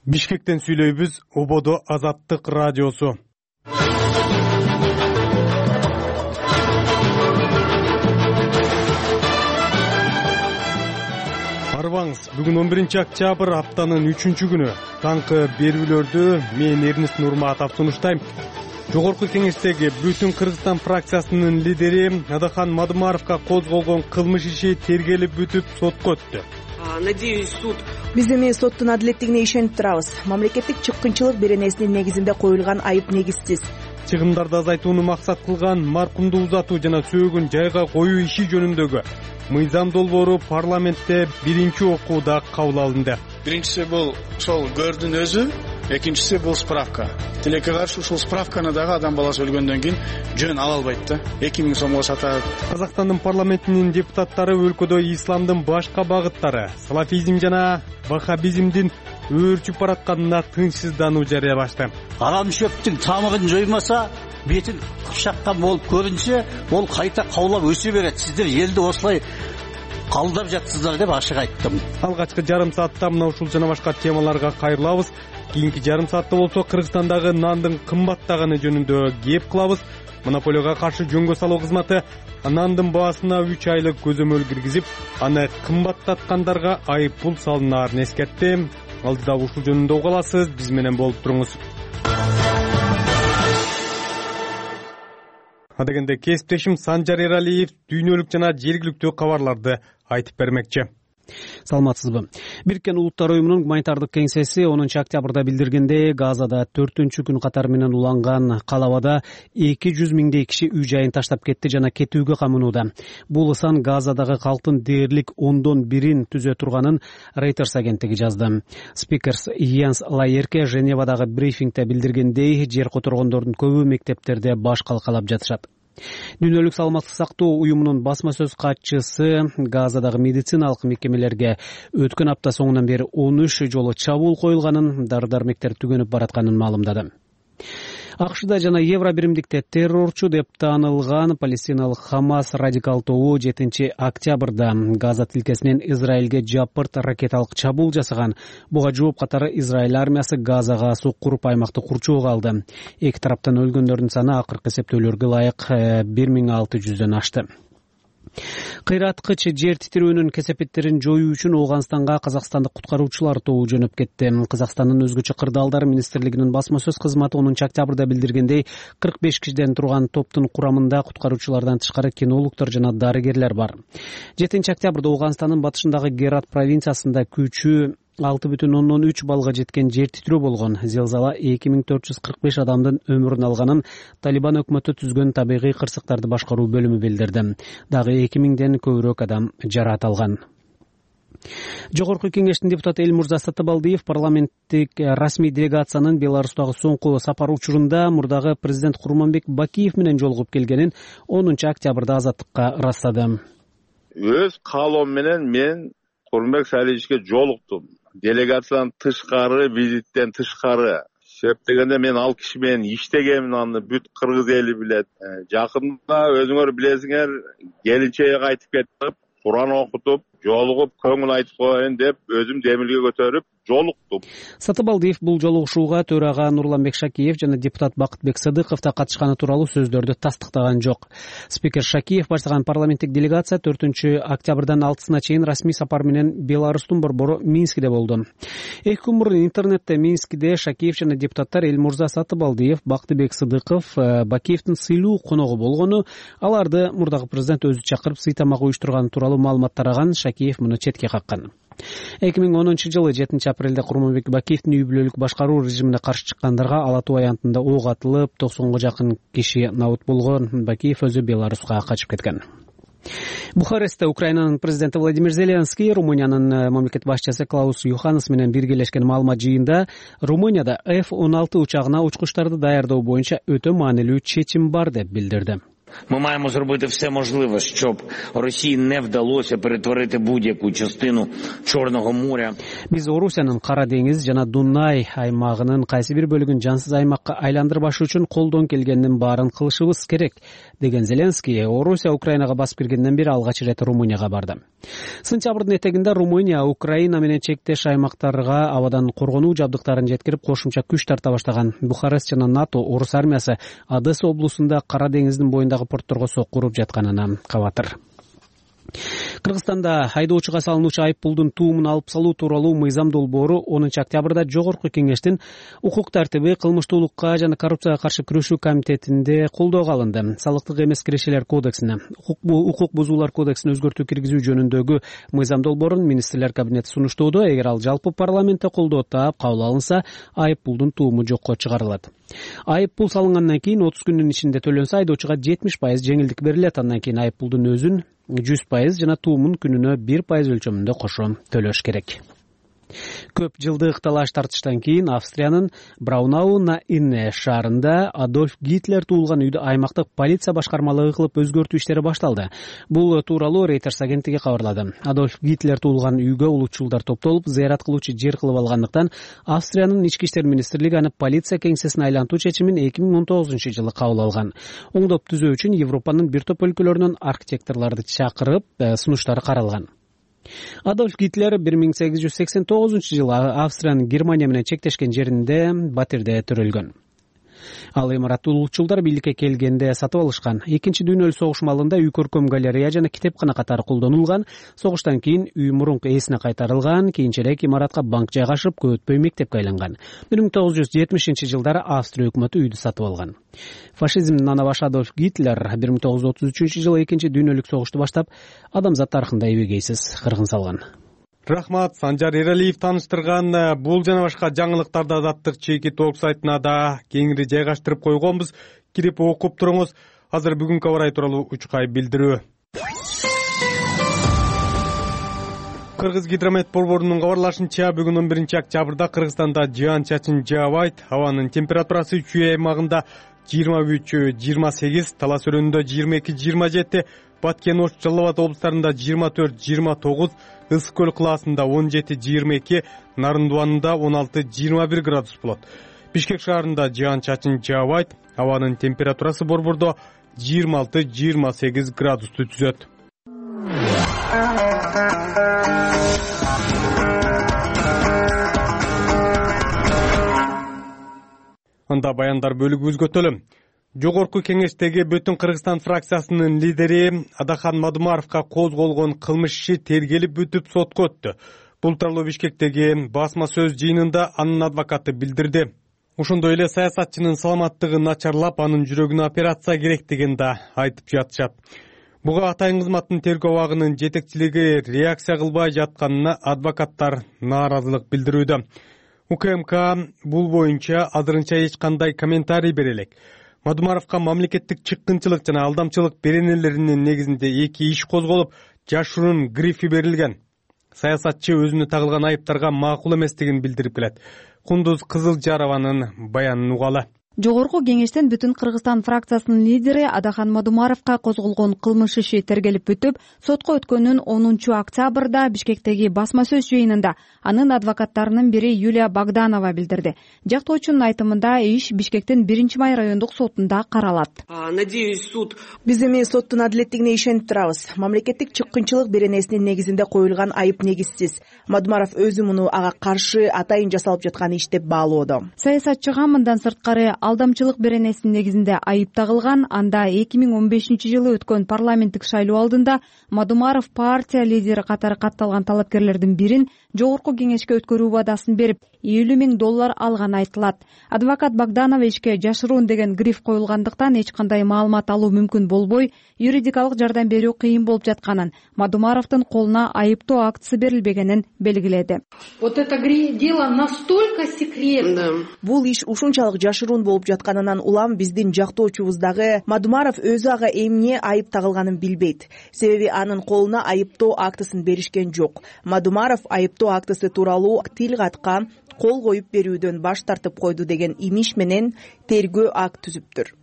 Бишкектен сүйлөйбүз. Ободо Азаттык радиосу. Арбаңыз, бүгүн 11 октябрь, аптанын 3-күнү. Таңкы берүүлөрдү мен Эрнест Нурматов сунуштайм. Жогорку кеңештеги Бүтүн Кыргызстан фракциясынын лидери Адахан Мадымаровго козголгон кылмыш иши тергелип бүтүп сотко өттү. Надеюсь, суд. Биз эми соттун адилеттигине ишенип турабыз. Мамлекеттик чыккынчылык беренесинин негизинде коюлган айып негизсиз. Чыгымдарды азайтууну максат кылган маркумду узатуу жана сөөгүн жайга коюу иши жөнүндөгү мыйзам долбоору парламентте биринчи окууда кабыл алынды. Биринчиси бул ошол көрдүн өзү, экинчиси бул справка. Тилекке каршы ушул справканы дагы адам баласы өлгөндөн кийин жөн ала албайт да. 2000 сомго сатат. Казакстандын парламентинин депутаттары өлкөдө исламдын башка багыттары, салафизм жана ваххабизмдин өөрчүп баратканына тынчсыздануу жарыялашты. Арам шөптүн тамырын жоймаса, бетин кыпшаккан болуп көрүнсө, ол кайта каулап өсө берет. Сиздер элди осулай калдап жатсыздар деп ашык айттым. Алгачкы жарым саатта мына ушул жана башка темаларга кайрылабыз. Кийинки жарым саатта болсо Кыргызстандагы нандын кымбаттаганы жөнүндө кеп кылабыз. Монополияга каршы жөнгө салуу кызматы нандын баасына 3 айлык көзөмөл киргизип, аны кымбаттаткандарга айып пул салынаарын эскертти. Алдыда ушул жөнүндө уга аласыз, биз менен болуп туруңуз. Адегенде кесиптешим Санжар Эралиев дүйнөлүк жана жергиликтүү кабарларды айтып бермекчи. Саламатсызбы? Бириккен Улуттар уюмунун гуманитардык кеңсеси 10 октябрда билдиргендей, Газада 4-күн катары менен уланган калабада 200 миңдей киши үй жайын таштап кетти жана кетүүгө камынууда. Бул сан Газадагы калктын дээрлик 10/1 түзө турганын Reuters агенттиги жазды. Спикерс Йенс Лаерке Женевадагы брифингде билдиргендей, жер которгондордун көбү мектептерде баш калкалап жатышат. Дүйнөлүк саламаттык сактоо уюмунун басма сөз катчысы Газадагы медициналык мекемелерге өткөн апта соңунан бери 13 жолу чабуул коюлганын, дары-дармектер түгөнүп баратканын маалымдады. АКШда жана Евро биримдикте террорчу деп таанылган палестиналык Хамас радикал тобу 7 октябрда Газа тилкесинен Израилге жапырт ракеталык чабуул жасаган. Буга жооп катары Израиль армиясы Газага су куруп аймакты курчоого алды. Эки тараптан өлгөндөрдүн саны акыркы эсептөөлөргө ылайык 1600дөн ашты. Кыйраткыч жер титирөөнүн кесепеттерин жоюу үчүн Ооганстанга казакстандык куткаруучулар тобу жөнөп кетти. Казакстандын өзгөчө кырдаалдар министрлигинин басма сөз кызматы 10 октябрда билдиргендей, 45 кишиден турган топтун курамында куткаруучулардан тышкары кинологдор жана дарыгерлер бар. 7 октябрда Ооганстандын батышындагы Герат провинциясында күчү 6,3 балга жеткен жер титирөө болгон. Зелзала 2445 адамдын өмүрүн алганын Талибан өкмөтү түзгөн табигый кырсыктарды башкаруу бөлүмү билдирди. Дагы 2000ден көбүрөөк адам жараат алган. Жогорку кеңештин депутаты Элмурза Сатыбалдиев парламенттик расмий делегациянын Беларустагы соңку сапары учурунда мурдагы президент Курманбек Бакиев менен жолугуп келгенин 10 октябрда Азаттыкка ырастады. Өз каалоом менен мен Курманбек Салиевичке жолуктум. Делегациядан тышкары, визиттен тышкары. Себеп дегенде мен ал киши менен иштегенмин, аны бүт кыргыз эли билет. Жакында өзүңөр билесиңер, келинчеге кайтып кетип, Куран окутуп, жолугуп, көңүл айтып коеюн деп өзүм демилге көтөрүп жолуктум. Сатыбалдиев бул жолугушууга төрага Нурланбек Шакиев жана депутат Бакытбек Сыдыков да катышканы тууралуу сөздөрдү тастыктаган жок. Спикер Шакиев баштаган парламенттик делегация 4 октябрдан 6-сына чейин расмий сапар менен Беларустун борбору Минскиде болду. 2 күн мурун интернетте Минскиде Шакиев жана депутаттар Элмурза Сатыбалдиев, Бакытбек Сыдыков Бакиевдин сыйлуу коногу болгону, аларды мурдагы президент өзү чакырып сый тамак уюштурганы тууралуу маалымат тараган. Шакиев муну четке каккан. 2010 жылы 7 апрелде Курманбек Бакиевдин үй бүлөлүк башкаруу режимине каршы чыккандарга Ала Тоо аянтында ок атылып, 90го жакын киши набут болгон. Бакиев өзү Беларуска качып кеткен. Бухарестте Украинанын президенти Владимир Зеленский Румыниянын мамлекет башчысы Клаус Йоханнес менен биргелешкен маалымат жыйында Румынияда F-16 учагына учкучтарды даярдоо боюнча өтө маанилүү чечим бар деп билдирди. Ми маємо зробити все можливе, щоб Росії не вдалося перетворити будь-яку частину Чорного моря. Биз Орусиянын Кара деңиз жана Дунай аймагынын кайсы бир бөлүгүн жансыз аймакка айландырбаш үчүн колдон келгендин баарын кылышыбыз керек, деген Зеленский Орусия Украинага басып киргенден бери алгач ирет Румынияга барды. Сентябрдын этегинде Румыния Украина менен чектеш аймактарга абадан коргонуу жабдыктарын жеткирип кошумча күч тарта баштаган. Бухарест жана НАТО орус армиясы Одесса облусунда Кара деңиздин боюндагы портторго сокку уруп жатканына кабатыр. Кыргызстанда айдоочуга салынуучу айып пулдун туумун алып салуу тууралуу мыйзам долбоору 10 октябрда Жогорку Кеңештин укук тартиби, кылмыштуулукка жана коррупцияга каршы күрөшүү комитетинде колдоого алынды. Салыктык эмес кирешелер кодексине, укук бузуулар кодексине өзгөртүү киргизүү жөнүндөгү мыйзам долбоорун министрлер кабинети сунуштоодо. Эгер ал жалпы парламентте колдоо таап кабыл алынса, айып пулдун тууму жокко чыгарылат. Айып пул салынгандан кийин 30 күндүн ичинде төлөнсө, айдоочуга 70% жеңилдик берилет. Андан кийин айып пулдун өзүн 100% жана туумун күнүнө 1% өлчөмүндө кошо төлөш керек. Көп жылдык талаш тартыштан кийин Австриянын Браунау на Инне шаарында Адольф Гитлер туулган үйдө аймактык полиция башкармалыгы кылып өзгөртүү иштери башталды. Бул тууралуу Reuters агенттиги кабарлады. Адольф Гитлер туулган үйгө улутчулдар топтолуп, зыярат кылуучу жер кылып алгандыктан Австриянын ички иштер министрлиги аны полиция кеңсесине айлантуу чечимин 2019-жылы кабыл алган. Оңдоп түзөө үчүн Европанын бир топ өлкөлөрүнөн архитекторлорду чакырып, сунуштары каралган. Адольф Гитлер 1889-жылы Австриянын Германия менен чектешкен жеринде батирде төрөлгөн. Ал имаратты улутчулдар бийликке келгенде сатып алышкан. Экинчи дүйнөлүк согуш маалында үй көркөм галерея жана китепкана катары колдонулган. Согуштан кийин үй мурунку ээсине кайтарылган. Кийинчерээк имаратка банк жайгашып, көп өтпөй мектепке айланган. 1970-жылдары Австрия өкмөтү үйдү сатып алган. Фашизмдин анабашы Адольф Гитлер 1933-жылы экинчи дүйнөлүк согушту баштап, адамзат тарыхында эбегейсиз кыргын салган. Рахмат, Санжар Эралиев тааныштырган. Бул жана башка жаңылыктарды Азаттык чеки толк сайтына да кеңири жайгаштырып койгонбуз. Кирип окуп туруңуз. Азыр бүгүнкү аба ырайы тууралуу учкай билдирүү. Кыргыз гидромет борборунун кабарлашынча, бүгүн 11 октябрда Кыргызстанда жаан-чачын жаабайт. Абанын температурасы үч үй аймагында 23-28, Талас өрөөнүндө 22-27, Баткен, Ош, Жалал Абад облустарында 24-29, Ысык көл кылаасында 17-22, Нарындыбанында 16-21 градус болот. Бишкек шаарында жаан-чачын жаабайт. Абанын температурасы борбордо 26-28 градусту түзөт. Анда баяндар бөлүгүбүзгө өтөлүм. Жогорку Кеңештеги Бүтүн Кыргызстан фракциясынын лидери Адахан Мадумаровго козголгон кылмыш иши тергелип бүтүп сотко өттү. Бул тууралуу Бишкектеги басма сөз жыйынында анын адвокаты билдирди. Ошондой эле саясатчынын саламаттыгы начарлап, анын жүрөгүнө операция керек деген да айтып жатышат. Буга атайын кызматтын тергөө абагынын жетекчилиги реакция кылбай жатканына адвокаттар нааразылык билдирүүдө. УКМК бул боюнча азырынча эч кандай комментарий бере элек. Мадумаровго мамлекеттик чыккынчылык жана алдамчылык беренелеринин негизинде 2 иш козголуп, жашыруун грифи берилген. Саясатчы өзүнө тагылган айыптарга макул эместигин билдирип келет. Кундуз Кызылжарованын баянын угалы. Жогорку Кеңештин Бүтүн Кыргызстан фракциясынын лидери Адахан Мадумаровго козголгон кылмыш иши тергелип бүтүп, сотко өткөнүн 10 октябрда Бишкектеги басма сөз жыйынында анын адвокаттарынын бири Юлия Богданова билдирди. Жактоочунун айтымында иш Бишкектин 1-май райондук сотунда каралат. Надеюсь, суд. Биз эми соттун адилеттигине ишенип турабыз. Мамлекеттик чыккынчылык беренесинин негизинде коюлган айып негизсиз. Мадумаров өзү муну ага каршы атайын жасалып жаткан иш деп баалоодо. Саясатчыга мындан сырткары алдамчылык беренесинин негизинде айып тагылган. Анда 2015-жылы өткөн парламенттик шайлоо алдында Мадумаров партия лидери катары катталган талапкерлердин бирин Жогорку Кеңешке өткөрүү убадасын берип, $50,000 алганы айтылат. Адвокат Богданова ишке жашыруун деген гриф коюлгандыктан эч кандай маалымат алуу мүмкүн болбой, юридикалык жардам берүү кыйын болуп жатканын, Мадумаровдун колуна айыптоо актысы берилбегенин белгиледи. Вот это дело настолько секретно. Бул иш ушунчалык жашыруун болуп жатканынан улам биздин жактоочубуздагы Мадумаров өзү ага эмне айып тагылганын билбейт. Себеби анын колуна айыптоо актысын беришкен жок. Мадумаров айыптоо актысы тууралуу тил катка кол коюп берүүдөн баш тартып койду деген имиш менен тергөө акт түзүптүр.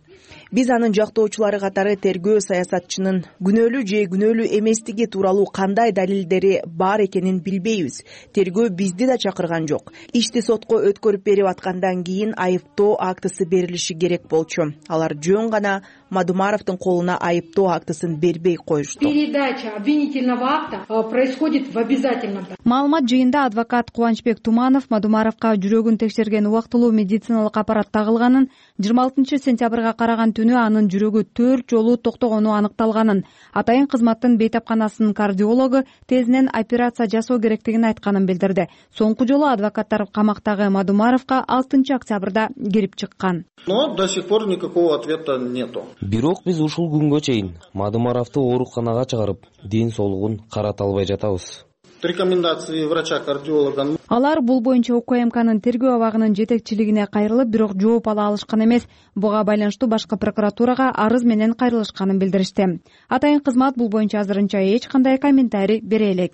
Биз анын жактоочулары катары тергөө саясатчынын күнөөлүү же күнөөлүү эместиги тууралуу кандай далилдери бар экенин билбейбиз. Тергөө бизди да чакырган жок. Ишти сотко өткөрүп берип аткандан кийин айыптоо актысы берилиши керек болчу. Алар жөн гана Мадумаровдун колуна айыптоо актысын бербей коюшту. Передача обвинительного акта происходит в обязательном. Маалымат жыйында адвокат Кубанычбек Туманов Мадумаровго жүрөгүн текшерген убактылуу медициналык аппарат тагылганын, 26 сентябрга караган түнү анын жүрөгү 4 жолу токтогону аныкталганын, атайын кызматтын бейтапканасынын кардиологу тезинен операция жасоо керектигин айтканын билдирди. Соңку жолу адвокаттар камактагы Мадумаровго 6 октябрда кирип чыккан. Но до сих пор никакого ответа нету. Бирок биз ушул күнгө чейин Мадумаровду ооруканага чыгарып, ден соолугун карата албай жатабыз. Рекомендации врача-кардиолога. Алар бул боюнча УКМКнын тергөө абагынын жетекчилигине кайрылып, бирок жооп ала алышкан эмес. Буга байланыштуу башкы прокуратурага арыз менен кайрылышканын билдиришти. Атайын кызмат бул боюнча азырынча эч кандай комментарий бере элек.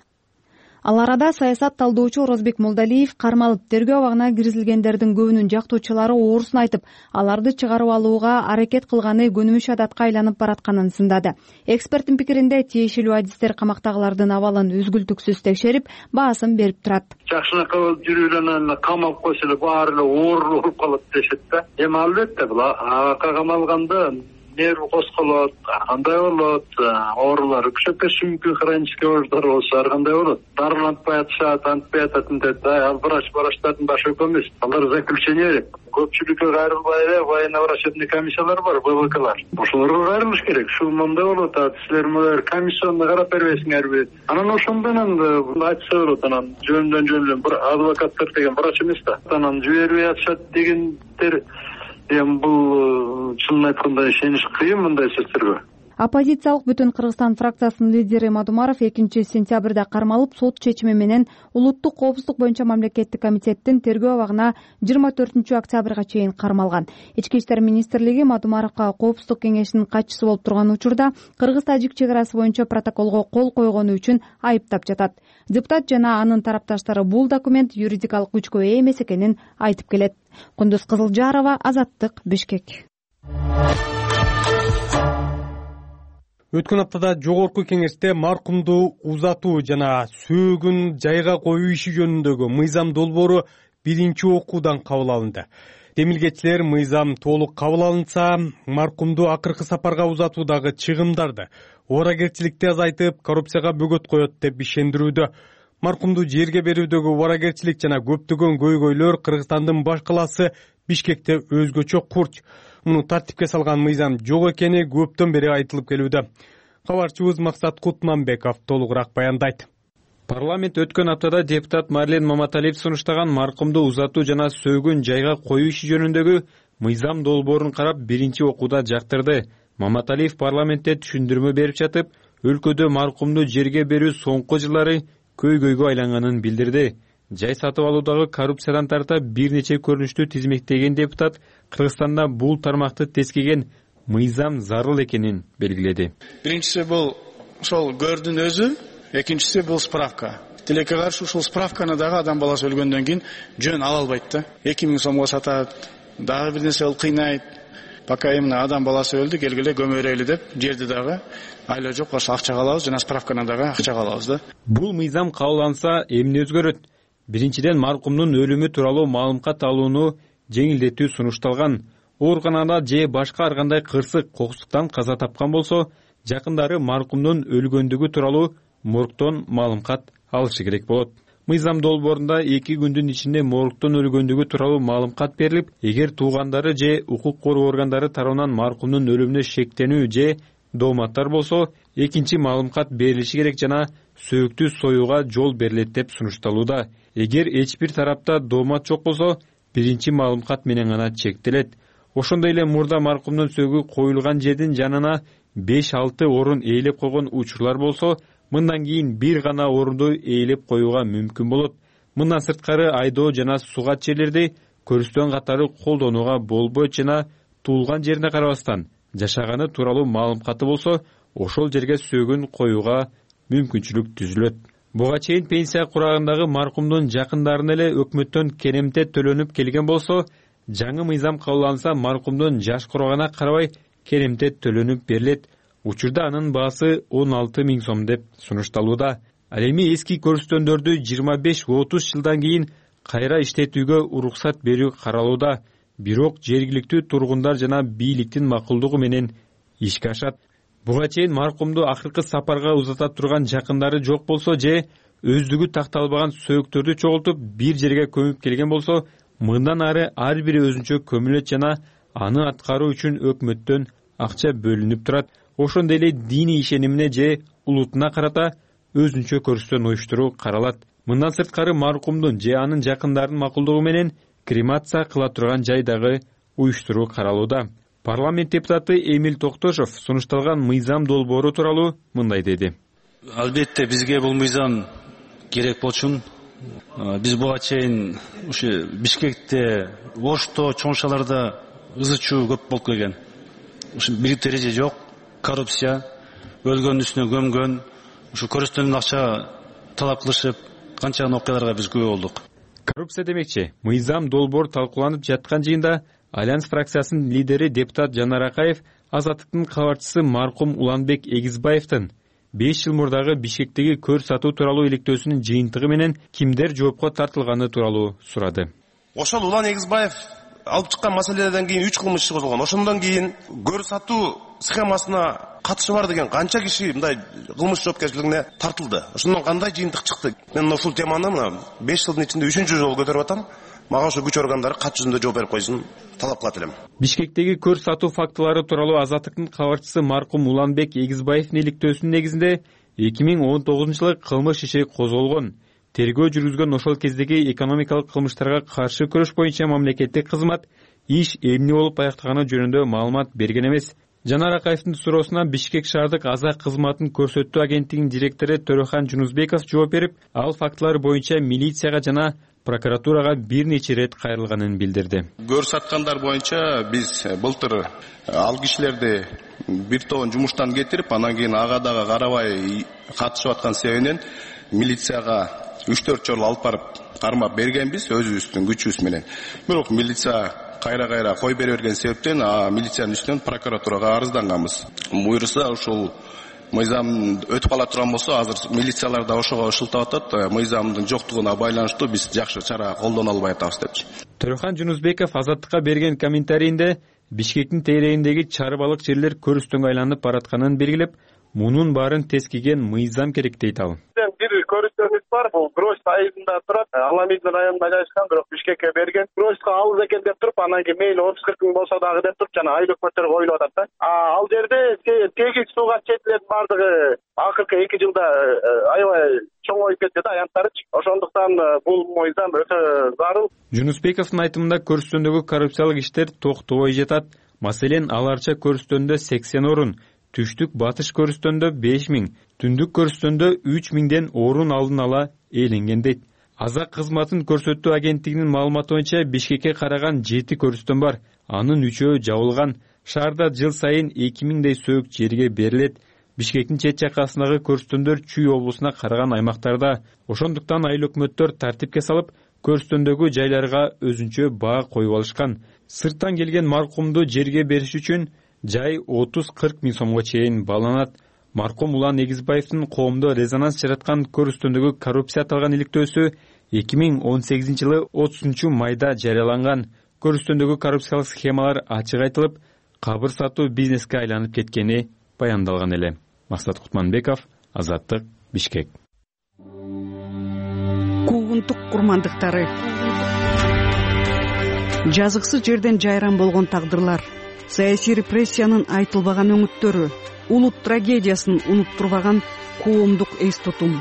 Ал арада саясат талдоочу Орозбек Молдалиев кармалып, тергөө абагына киргизилгендердин көбүнүн жактоочулары оорусун айтып, аларды чыгарып алууга аракет кылганы көнүмүш адатка айланып баратканын сындады. Эксперттин пикиринде тиешелүү адистер камактагылардын абалын үзгүлтүксүз текшерип, баасын берип турат. Жакшынакы жүрүлөнөн камалып койсо эле баары эле ооруп калат дешет да. Эми албетте бул ага камалганда нерв козголот, кандай болот, оорулар күчөпөшү мүмкүн, хронический оорулар болсо ар кандай болот. Дарылантпай атышат, антпай ататын деп, ал врачтардын башы өкө эмес. Алар заключение берет. Көпчүлүккө кайрылбай эле военно врачебный комиссиялар бар, ВВКлар. Ошолорго кайрылыш керек. Ушул мындай болот, силер мына комиссионду карап бербейсиңерби? Анан ошондон айтса болот, анан жөндөн бир адвокаттар деген врач эмес да. Анан жибербей атышат дегендер эми бул чынын айтканда ишениш кыйын мындай сөздөргө. Оппозициялык Бүтүн Кыргызстан фракциясынын лидери Мадумаров 2 сентябрда кармалып, сот чечими менен улуттук коопсуздук боюнча мамлекеттик комитеттин тергөө абагына 24 октябрга чейин кармалган. Ички иштер министрлиги Мадумаровго коопсуздук кеңешинин катчысы болуп турган учурда кыргыз-тажик чек арасы боюнча протоколго кол койгону үчүн айыптап жатат. Депутат жана анын тарапташтары бул документ юридикалык күчкө ээ эмес экенин айтып келет. Кундуз Кызылжарова, Азаттык, Бишкек. Өткөн аптада жогорку кеңеште маркумду узатуу жана сөөгүн жайга коюу иши жөнүндөгү мыйзам долбоору биринчи окуудан кабыл алынды. Демилгечилер мыйзам толук кабыл алынса, маркумду акыркы сапарга узатуудагы чыгымдарды, убаракерчиликти азайтып, коррупцияга бөгөт коет деп ишендирүүдө. Маркумду жерге берүүдөгү убаракерчилик жана көптөгөн көйгөйлөр Кыргызстандын баш калаасы Бишкекте өзгөчө курч. Муну тартипке салган мыйзам жок экени көптөн бери айтылып келүүдө. Кабарчыбыз Максат Кутманбеков толугураак баяндайт. Парламент өткөн аптада депутат Марлен Маматалиев сунуштаган маркумду узатуу жана сөөгүн жайга коюу иши жөнүндөгү мыйзам долбоорун карап биринчи окууда жактырды. Маматалиев парламентте түшүндүрмө берип жатып, өлкөдө маркумду жерге берүү соңку жылдары көйгөйгө айланганын билдирди. Жай сатып алуудагы коррупциядан тарта бир нече көрүнүштү тизмектеген депутат Кыргызстанда бул тармакты тескеген мыйзам зарыл экенин белгиледи. Биринчиси бул ошол көрдүн өзү, экинчиси бул справка. Тилекке каршы ушул справканы дагы адам баласы өлгөндөн кийин жөн ала албайт да. 2000 сомго сатат, дагы бир нерсе болуп кыйнайт. Пока эмне адам баласы өлдү, келгиле көмөрөйлү деп, жерди дагы айла жок, ошо акчага алабыз, жана справканы дагы акчага алабыз да. Бул мыйзам кабылданса эмне өзгөрөт? Биринчиден маркумдун өлүмү тууралуу маалымат алууну жеңилдетүү сунушталган. Ооруканада же башка ар кандай кырсык, кокустуктан каза тапкан болсо, жакындары маркумдун өлгөндүгү тууралуу моргтон маалымат алышы керек болот. Мыйзам долбоорунда 2 күндүн ичинде моргтон өлгөндүгү тууралуу маалымат берилип, эгер туугандары же укук коргоо органдары тарабынан маркумдун өлүмүнө шектенүү же дооматтар болсо, экинчи маалымат берилиши керек жана сөөктү союуга жол берилет деп сунушталууда. Эгер эч бир тарапта доомат жок болсо, биринчи маалымат менен гана чектелет. Ошондой эле мурда маркумдун сөөгү коюлган жердин жанына 5-6 орун ээлеп койгон учурлар болсо, мындан кийин бир гана орунду ээлеп коюуга мүмкүн болот. Мындан сырткары айдоо жана сугат жерлерди көрүстөн катары колдонууга болбойт жана туулган жерине карабастан жашаганы тууралуу маалыматы болсо, ошол жерге сөөгүн коюуга мүмкүнчүлүк түзүлөт. Буга чейин пенсия курагындагы маркумдун жакындарына эле өкмөттөн керемте төлөнүп келген болсо, жаңы мыйзам кабыл алынса, маркумдун жаш курагына карабай керемтет төлөнүп берилет. Учурда анын баасы 16 000 сом деп сунушталууда. Ал эми эски көрүстөндөрдү 25-30 жылдан кийин кайра иштетүүгө уруксат берүү каралууда. Бирок жергиликтүү тургундар жана бийликтин макулдугу менен ишке ашат. Буга чейин маркумду акыркы сапарга узата турган жакындары жок болсо же өздүгү такталбаган сөөктөрдү чогултуп бир жерге көмүп келген болсо, мындан ары ар бири өзүнчө көмүлөт жана аны аткаруу үчүн өкмөттөн акча бөлүнүп турат. Ошондой эле диний ишенимине же улутуна карата өзүнчө көрүстөн уюштуруу каралат. Мындан сырткары маркумдун же анын жакындарынын макулдугу менен кремация кыла турган жай дагы уюштуруу каралууда. Парламент депутаты Эмил Токтошов сунушталган мыйзам долбоору тууралуу мындай деди. Албетте бизге бул мыйзам керек болчу. Биз буга чейин ушу Бишкекте, Ошто, чоңшаларда ызы чуу көп болуп келген. Ушу бийлик дереже жок, коррупция, өлгөндүн үстүнө көмгөн, ушу көрүстөнүн акча талап кылышып, канчаган окуяларга биз күбө болдук. Коррупция демекчи, мыйзам долбоор талкууланып жаткан жыйында Альянс фракциясынын лидери депутат Жанар Акаев Азаттыктын кабарчысы маркум Уланбек Эгизбаевдин 5 жыл мурдагы Бишкектеги көр сатуу тууралуу иликтөөсүнүн жыйынтыгы менен кимдер жоопко тартылганы тууралуу сурады. Ошол Улан Эгизбаев алып чыккан маселелерден кийин 3 кылмыш иши козголгон. Ошондон кийин көр сатуу схемасына катышы бар деген канча киши мындай кылмыш жоопкерчилигине тартылды. Ошондон кандай жыйынтык чыкты? Мен ушул теманы мына 5 жылдын ичинде 3-чү жолу көтөрүп атам. Мага ошо күч органдары кат жүзүндө жооп берип койсун талап кылат элем. Бишкектеги көр сатуу фактылары тууралуу Азаттыктын кабарчысы маркум Уланбек Эгизбаевдин иликтөөсүнүн негизинде 2019 жылы кылмыш иши козголгон. Тергөө жүргүзгөн ошол кездеги экономикалык кылмыштарга каршы күрөш боюнча мамлекеттик кызмат иш эмне болуп аяктаганы жөнүндө маалымат берген эмес. Жанар Акаевдин суроосуна Бишкек шаардык аза кызматын көрсөтүү агенттигинин директору Төрөхан Жунузбеков жооп берип, ал фактылар боюнча милицияга жана прокуратурага бир нече ирет кайрылганын билдирди. Көр саткандар боюнча биз былтыр ал кишилерди бир тобун жумуштан кетирип, анан кийин ага дагы карабай катышып аткан себебинен милицияга 3-4 жолу алып барып кармап бергенбиз өзүбүздүн күчүбүз менен. Бирок милиция кайра кой бере берген себептен милициянын үстүнөн прокуратурага арызданганбыз. Буюрса ушул мыйзам өтүп кала турган болсо, азыр милициялар да ошого шылтап атат. Мыйзамдын жоктугуна байланыштуу биз жакшы чара колдоно албай атабыз депчи. Төрөхан Жунузбеков Азаттыкка берген комментарийинде Бишкектин тегерегиндеги чарбалык жерлер көрүстөнгө айланып баратканын белгилеп, мунун баарын тескиген мыйзам керек дейт ал. Бир көрүстөнүбүз бар, бул Гроз айылында турат, Аламидин районунда жайгашкан, бирок Бишкекке берген. Грозко алыс экен деп туруп, анан кийин мейли 30-40 мың болсо дагы деп туруп, жана айлык өкмөттөр коюлуп атат да. Ал жерде тегиз сууга чечилет бардыгы акыркы 2 жылда аябай чоңоюп кетти да аянттарычы. Ошондуктан бул мыйзам өтө зарыл. Жунусбековдун айтымында көрүстөндөгү коррупциялык иштер токтобой жатат. Маселен, аларча көрүстөндө 80 орун, түштүк батыш көрүстөндө 5000, түндүк көрүстөндө 3000ден орун алдын ала ээленген дейт. Аза кызматын көрсөтүү агенттигинин маалыматы боюнча Бишкекке караган 7 көрүстөн бар. Анын 3-өө жабылган. Шаарда жыл сайын 2000дей сөөк жерге берилет. Бишкектин чет жакасындагы көрүстөндөр Чүй облусуна караган аймактарда. Ошондуктан айыл өкмөттөр тартипке салып, көрүстөндөгү жайларга өзүнчө баа коюп алышкан. Сырттан келген маркумду жерге бериш үчүн жай 30-40 мың сомго чейин бааланат. Маркум Улан Эгизбаевдин коомдо резонанс жараткан көрүстөндөгү коррупция аталган иликтөөсү 2018 жылы 30 майда жарыяланган. Көрүстөндөгү коррупциялык схемалар ачык айтылып, кабыр сатуу бизнеске айланып кеткени баяндалган эле. Максат Кутманбеков, Азаттык, Бишкек. Куугунтук курмандыктары. Жазыксыз жерден жайран болгон тагдырлар, саясий репрессиянын айтылбаган өңүттөрү, улут трагедиясын унуттурбаган коомдук эс тутум.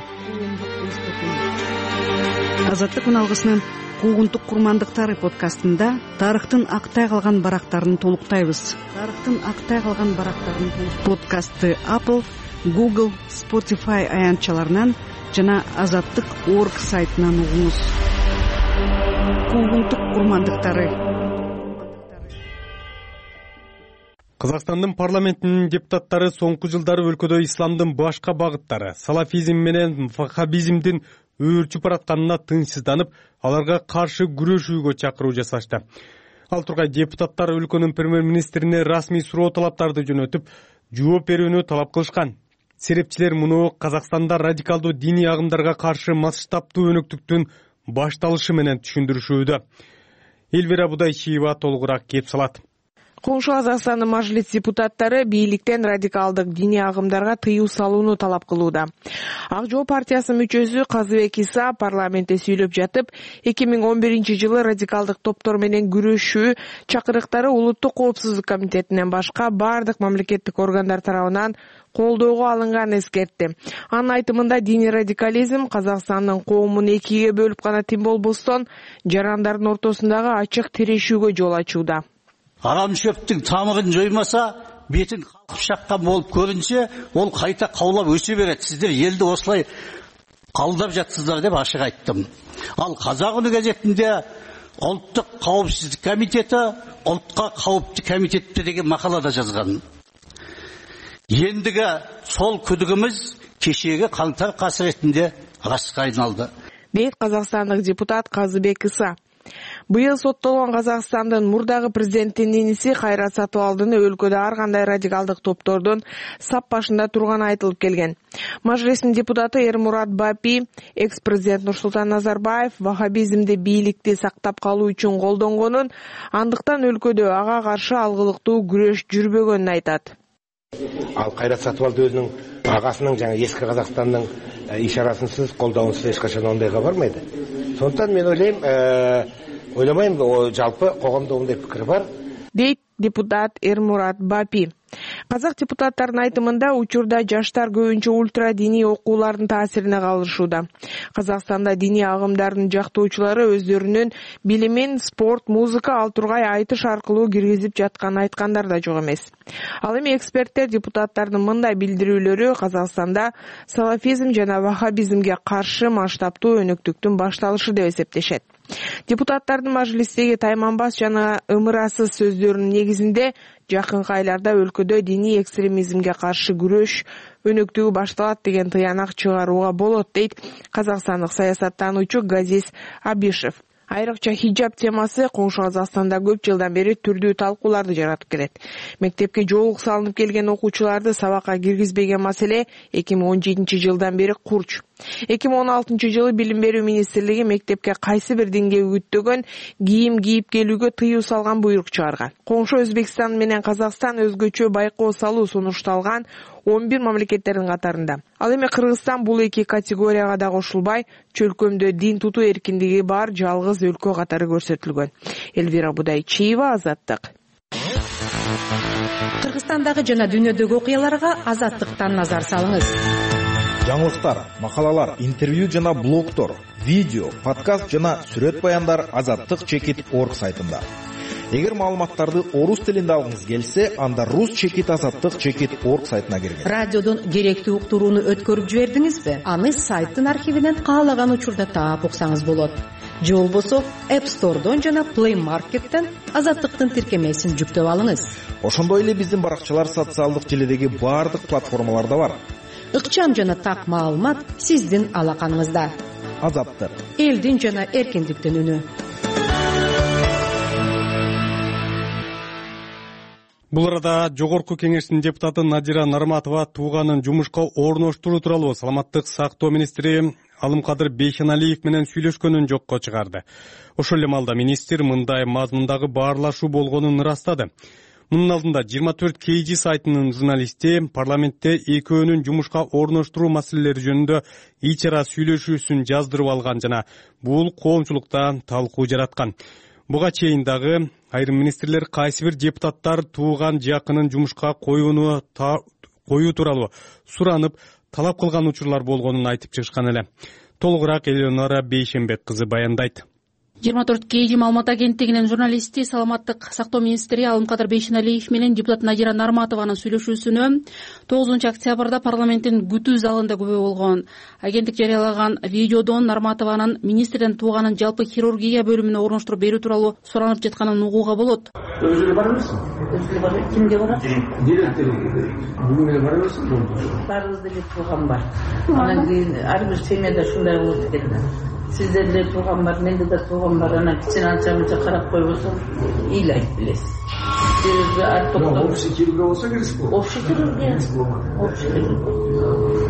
Азаттык үналгысынын Куугунтук курмандыктары подкастында тарыхтын актай калган барактарын толуктайбыз. Подкастты Apple, Google, Spotify аянтчаларынан жана Азаттык.org сайтынан угуңуз. Куугунтук курмандыктары. Казакстандын парламентинин депутаттары соңку жылдары өлкөдө исламдын башка багыттары, салафизм менен ваххабизмдин өөрчүп баратканына тынчсызданып, аларга каршы күрөшүүгө чакыруу жасашты. Ал тургай депутаттар өлкөнүн премьер-министрине расмий суроо талаптарды жөнөтүп, жооп берүүнү талап кылышкан. Серепчилер муну Казакстанда радикалдуу диний агымдарга каршы масштабтуу өнөктүктүн башталышы менен түшүндүрүшүүдө. Элвира Будайчиева толугураак кеп салат. Коңшу Казакстандын мажлис депутаттары бийликтен радикалдык диний агымдарга тыюу салууну талап кылууда. Ак жол партиясынын мүчөсү Казыбек Иса парламентте сүйлөп жатып, 2011-жылы радикалдык топтор менен күрөшүү чакырыктары Улуттук коопсуздук комитетинен башка бардык мамлекеттик органдар тарабынан колдоого алынганын эскертти. Анын айтымында диний радикализм Казакстандын коомун экиге бөлүп гана тим болбостон, жарандардын ортосундагы ачык тирешүүгө жол ачууда. Арам шөптүн тамырын жоймаса, бетин калкып шаккан болуп көрүнсө, ол кайта каулап өсө берет. Сиздер элди осулай калдап жатсыздар деп ашык айттым. Ал Казак Үнү газетинде Улуттук коопсуздук комитети улутка кооптуу комитетте деген макалада жазган. Ендиги сол күдүгүмүз кечеги каңтар касыретинде ыраска айналды, дейт казакстандык депутат Казыбек Иса. Быйыл соттолгон Казакстандын мурдагы президентинин иниси Кайрат Сатыбалдыны өлкөдө ар кандай радикалдык топтордун сап башында турганы айтылып келген. Мажлистин депутаты Эрмурат Бапи экс-президент Нурсултан Назарбаев ваххабизмди бийликти сактап калуу үчүн колдонгонун, андыктан өлкөдө ага каршы алгылыктуу күрөш жүрбөгөнүн айтат. Ал Кайрат Сатыбалды өзүнүн агасынын жана эски Казакстандын ишарасынсыз, колдоонсуз эч качан ондойго бармайды. Сондықтан мен ойламаймын, жалпы коомдо мындай пикир бар, дейт депутат Эрмурат Бапи. Казак депутаттардын айтымында учурда жаштар көбүнчө ультра диний окуулардын таасирине калышууда. Казакстанда диний агымдардын жактоочулары өздөрүнүн билимин спорт, музыка, ал тургай айтыш аркылуу киргизип жатканын айткандар да жок эмес. Ал эми эксперттер депутаттардын мындай билдирүүлөрү Казакстанда салафизм жана ваххабизмге каршы масштабтуу өнөктүктүн башталышы деп эсептешет. Депутаттардын мажлистеги тайманбас жана ымырасыз сөздөрүнүн негизинде жакынкы айларда өлкөдө диний экстремизмге каршы күрөш өнөктүгү башталат деген тыянак чыгарууга болот, дейт казакстандык саясаттануучу Газиз Абишев. Айрыкча хиджаб темасы Коңшу Казакстанда көп жылдан бери түрдүү талкууларды жаратып келет. Мектепке жоолук салынып келген окуучуларды сабакка киргизбеген маселе 2017-жылдан бери курч. 2016-жылы Билим берүү министрлиги мектепке кайсы бир динге үгүттөгөн кийим кийип келүүгө тыюу салган буйрук чыгарган. Коңшу Өзбекстан менен Казакстан өзгөчө байкоо салуу сунушталган 11 мамлекеттердин катарында. Ал эми Кыргызстан бул эки категорияга да кошулбай, чөлкөмдө дин тутуу эркиндиги бар жалгыз өлкө катары көрсөтүлгөн. Элвира Будайчиева, Азаттык. Кыргызстандагы жана дүйнөдөгү окуяларга Азаттыктан назар салыңыз. Жаңылыктар, макалалар, интервью жана блогтор, видео, подкаст жана сүрөт баяндар azattik.org сайтында. Эгер маалыматтарды орус тилинде алгыңыз келсе, анда rus.azattik.org сайтына киргиз. Радиодон керектүү уктурууну өткөрүп жибердиңизби? Аны сайттын архивинен каалаган учурда таап уксаңыз болот. Же болбосо App Store'дон жана Play Market'тен Азаттыктын тиркемесин жүктөп алыңыз. Ошондой эле биздин баракчалар социалдык желедеги бардык платформаларда бар. Ыкчам жана так маалымат сиздин алаканыңызда. Азаттык. Элдин жана эркиндиктин үнү. Бул арада Жогорку Кеңештин депутаты Надира Нарматова тууганын жумушка орноштуруу тууралуу Саламаттык сактоо министри Алымкадыр Бейшеналиев менен сүйлөшкөнүн жокко чыгарды. Ошол эле маалда министр мындай мазмундагы баарлашуу болгонун ырастады. Мунун алдында 24 KG сайтынын журналисти парламентте экөөнүн жумушка орноштуруу маселелери жөнүндө ич ара сүйлөшүүсүн жаздырып алган жана бул коомчулукта талкуу жараткан. Буга чейин дагы айрым министрлер кайсы бир депутаттар тууган жакынын жумушка коюу тууралуу суранып талап кылган учурлар болгонун айтып чыгышкан эле. Толугураак Элеонора Бейшенбек кызы баяндайт. 24 KG маалымат агенттигинин журналисти Саламаттык сактоо министри Алымкадыр Бейшеналиев менен депутат Надира Нарматованын сүйлөшүүсүнө 9 октябрда парламенттин күтүү залында күбө болгон. Агенттик жарыялаган видеодон Нарматованын министрден тууганын жалпы хирургия бөлүмүнө орноштуруп берүү тууралуу суранып жатканын угууга болот. Өзү бар эмессиң? Өзү бар. Кимге барат? Директорго. Бүгүн бара берсиң? Баарыбызда бир тууган бар. Анан кийин ар бир семьяда ушундай болот экен. Сиздерде тууган бар, менде да тууган бар. Анан кичине анча-мынча карап койбосо ыйлайт билесиз. Общий тилге болсо керек болот. Общий тилге.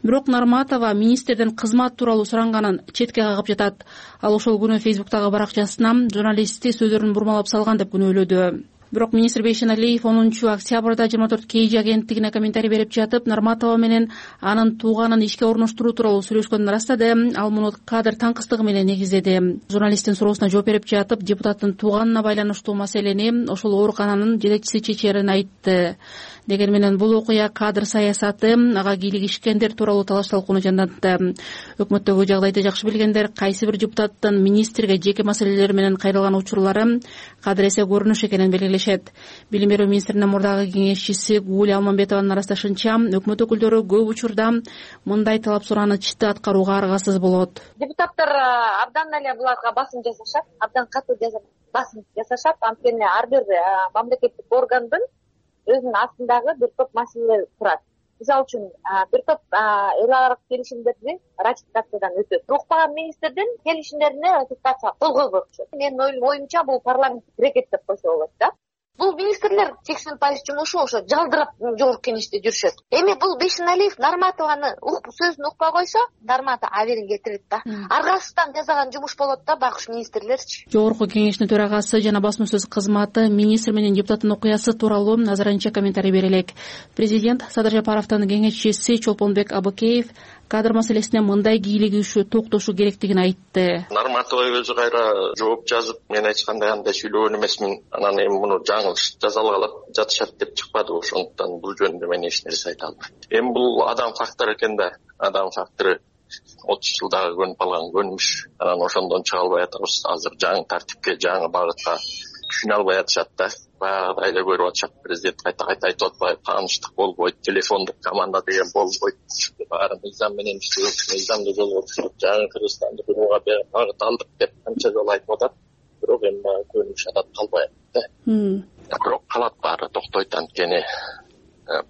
Бирок Нарматова министрден кызмат тууралуу суранганын четке кагып жатат. Ал ошол күнү Фейсбуктагы баракчасына журналистти сөздөрүн бурмалап салган деп күнөөлөдү. Бирок министр Бейшеналиев 10 октябрда 24 KG агенттигине комментарий берип жатып, Нарматова менен анын тууганын ишке орноштуруу тууралуу сүйлөшкөнүн ырастады. Ал муну кадр таңкыстыгы менен негиздеди. Журналисттин суроосуна жооп берип жатып, депутаттын тууганына байланыштуу маселени ошол оорукананын жетекчиси чечерин айтты. Деген менен бул окуя кадр саясаты, ага кийлигишкендер тууралуу талаш талкууну жандантты. Өкмөттөгү жагдайды жакшы билгендер кайсы бир депутаттын министрге жеке маселелер менен кайрылган учурлары кадыр эсе көрүнүш экенин белгилешет. Билим берүү министринин мурдагы кеңешчиси Гуля Алмамбетованын арасташынча, өкмөт өкүлдөрү көп учурда мындай талап сурааны чыкты аткарууга аргасыз болот. Депутаттар абдан эле буларга басым жасашат, абдан катуу басым жасашат. Анткени ар бир мамлекеттик органдын өзүнүн астындагы бир топ маселелер турат. Мисалы үчүн бир топ эл аралык келишимдерди ратификациядан өтөт. Укпаган министрдин келишимдерине ратификация кол койбокчу. Менин оюмча бул парламенттик рекет деп койсо болот да. Бул министрлер 80% жумушу ошо жалдырап жогорку кеңеште жүрүшөт. Эми бул Бейшеналиев Нарматованы сөзүн укпай койсо, Нарматов аберин кетирет да. Аргасыздан жасаган жумуш болот да, багыш министрлерчи. Жогорку кеңештин төрагасы жана басма сөз кызматы министр менен депутаттын окуясы тууралуу азырынча комментарий бере элек. Президент Садыр Жапаровдун кеңешчиси Чолпонбек Абыкеев кадр маселесине мындай кийлигишүү токтошу керектигин айтты. Нарматова өзү кайра жооп жазып, мен эч кандай андай сүйлөгөн эмесмин. Анан эми муну жаңылыш жасалгалап жатышат деп чыкпады. Ошондуктан бул жөнүндө мен эч нерсе айта албайм. Эми бул адам фактору экен да. Адам фактору 30 жылдагы көнүп калган көнүмүш. Анан ошондон чыга албай атабыз. Азыр жаңы тартипке, жаңы багытка түшүнө албай атышат да. Баягыдай эле көрүп атышат. Президент кайта айтып атпайбы, тааныштык болбойт, телефондук команда деген болбойт. Баары мыйзам менен иштейт, мыйзамдуу жолго түшүп, жаңы Кыргызстанды курууга багыт алдык деп канча жолу айтып атат. Бирок эми көнүмүш адат калбай атты. Бирок калат баары токтойт, анткени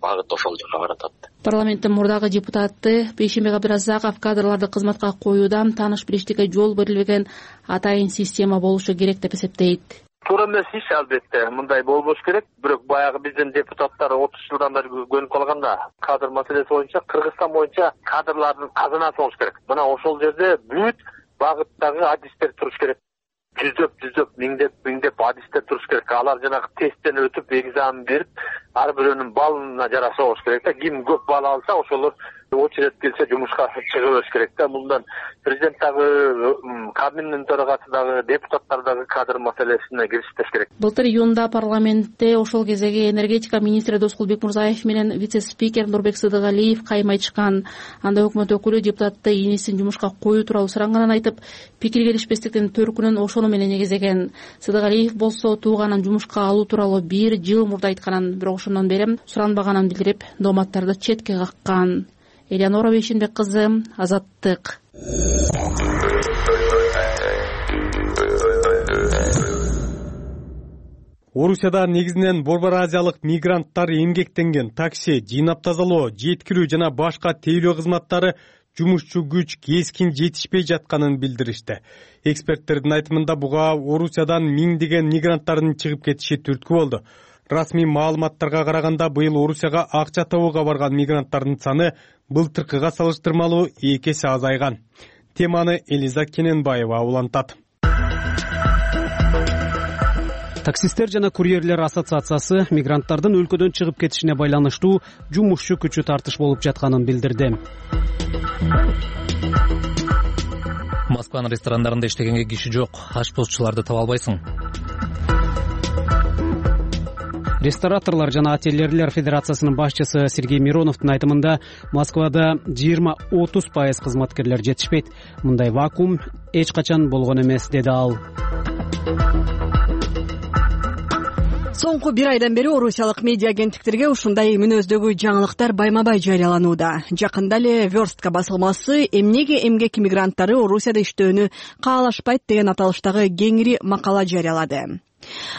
багыт ошол жака баратат. Парламенттин мурдагы депутаты Бейшембек Абдыразаков кадрларды кызматка коюуда тааныш билиштикке жол берилбеген атайын система болушу керек деп эсептейт. Туура эмес иш албетте, мындай болбош керек. Бирок баягы биздин депутаттар 30 жылдан бери көнүп калганда кадр маселеси боюнча Кыргызстан боюнча кадрлардын казынасы болуш керек. Мына ошол жерде бүт багыттагы адистер туруш керек. Жүздөп, миңдеп адистер туруш керек. Алар жанагы тесттен өтүп, экзамен берип, ар бирөөнүн балына жараша болуш керек да. Ким көп бал алса, ошолор очередь келсе жумушка чыга бериш керек да. Мындан президент дагы, Кабминдин төрагасы дагы, депутаттар дагы кадр маселесине киришиш керек. Былтыр июнда парламентте ошол кездеги энергетика министри Доскул Бекмурзаев менен вице-спикер Нурбек Сыдыгалиев кайым айтышкан. Анда өкмөт өкүлү депутатты инисин жумушка коюу тууралуу суранганын айтып, пикир келишпестиктин төркүнүн ошону менен негиздеген. Сыдыгалиев болсо тууганын жумушка алуу тууралуу 1 жыл мурда айтканын, бирок ошондон бери суранбаганын билдирип, дооматтарды четке каккан. Элеонора Бейшенбек кызы, Азаттык. Орусияда негизинен Борбор Азиялык мигранттар эмгектенген такси, жыйнап тазалоо, жеткирүү жана башка тейлөө кызматтары жумушчу күч кескин жетишпей жатканын билдиришти. Эксперттердин айтымында буга Орусиядан миңдеген мигранттардын чыгып кетиши түрткү болду. Расмий маалыматтарга караганда быйыл Орусияга акча табууга барган мигранттардын саны былтыркыга салыштырмалуу 2 эсе азайган. Теманы Элиза Кененбаева улантат. Таксисттер жана курьерлер ассоциациясы мигранттардын өлкөдөн чыгып кетишине байланыштуу жумушчу күчү тартыш болуп жатканын билдирди. Москванын ресторандарында иштегенге киши жок, ашпозчуларды таба албайсың. Рестораторлор жана ательерлер федерациясынын башчысы Сергей Мироновдун айтымында Москвада 20-30% кызматкерлер жетишпейт. Мындай вакуум эч качан болгон эмес, деди ал. Соңку 1 айдан бери орусиялык медиа агенттиктерге ушундай мүнөздөгү жаңылыктар байма-бай жарыяланууда. Жакында эле Верстка басылмасы эмнеге эмгек мигранттары Орусияда иштөөнү каалашпайт деген аталыштагы кеңири макала жарыялады.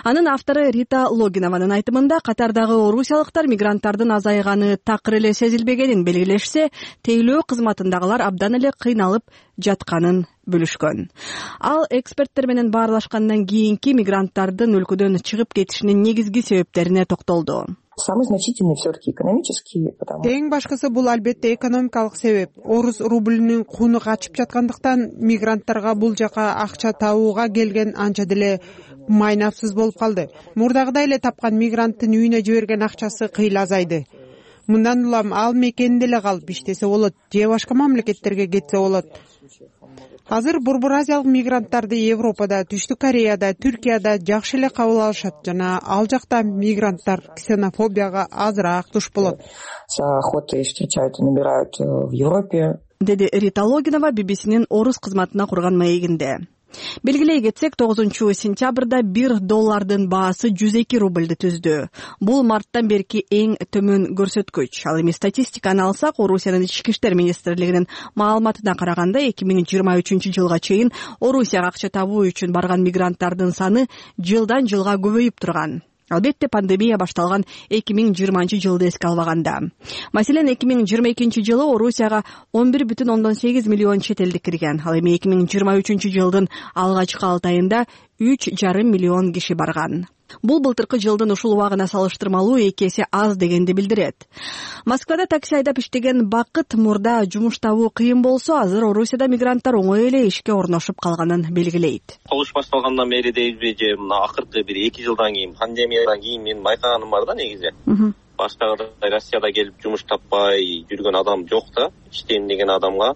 Анын автору Рита Логинованын айтымында катардагы орусиялыктар мигранттардын азайганы такыр эле сезилбегенин белгилешсе, тейлөө кызматындагылар абдан эле кыйналып жатканын бөлүшкөн. Ал эксперттер менен баарлашкандан кийинки мигранттардын өлкөдөн чыгып кетишинин негизги себептерине токтолду. Самый значительный все-таки экономический. Эң башкысы бул албетте экономикалык себеп. Орус рубльүнүн кууну качып жаткандыктан мигранттарга бул жака акча табууга келген анча деле майнапсыз болуп калды. Мурдагыдай эле тапкан мигранттын үйүнө жиберген акчасы кыйла азайды. Мындан улам ал мекенде эле калып иштесе болот же башка мамлекеттерге кетсе болот. Азыр Борбор Азиялык мигранттарды Европада, Түштүк Кореяда, Түркияда жакшы эле кабыл алышат жана ал жакта мигранттар ксенофобияга азыраак туш болот. С охотой встречают и набирают в Европе. Деди Рита Логинова BBC-нин орус кызматына курган маегинде. Белгилей кетсек, 9-сентябрда $1 баасы 102 рубльды түздү. Бул марттан берки эң төмөн көрсөткүч. Ал эми статистиканы алсак, Орусиянын ички иштер министрлигинин маалыматына караганда 2023 жылга чейин Орусияга акча табуу үчүн барган мигранттардын саны жылдан жылга көбөйүп турган. Албетте пандемия башталган 2020 жылды эске албаганда. Маселен, 2022 жылы Орусияга 11,8 миллион чет элдик кирген. Ал эми 2023 жылдын алгачкы 6 айында 3,5 миллион киши барган. Бул былтыркы жылдын ушул убагына салыштырмалуу 2 эсе аз дегенди билдирет. Москвада такси айдап иштеген Бакыт мурда жумуш табуу кыйын болсо, азыр Орусияда мигранттар оңой эле ишке орношуп калганын белгилейт. Кылыш башталгандан бери дейби же мына акыркы бир 2 жылдан кийин, пандемиядан кийин мен байкаганым бар да негизи. Баштагыдай Россияда келип жумуш таппай жүргөн адам жок да. Иштейм деген адамга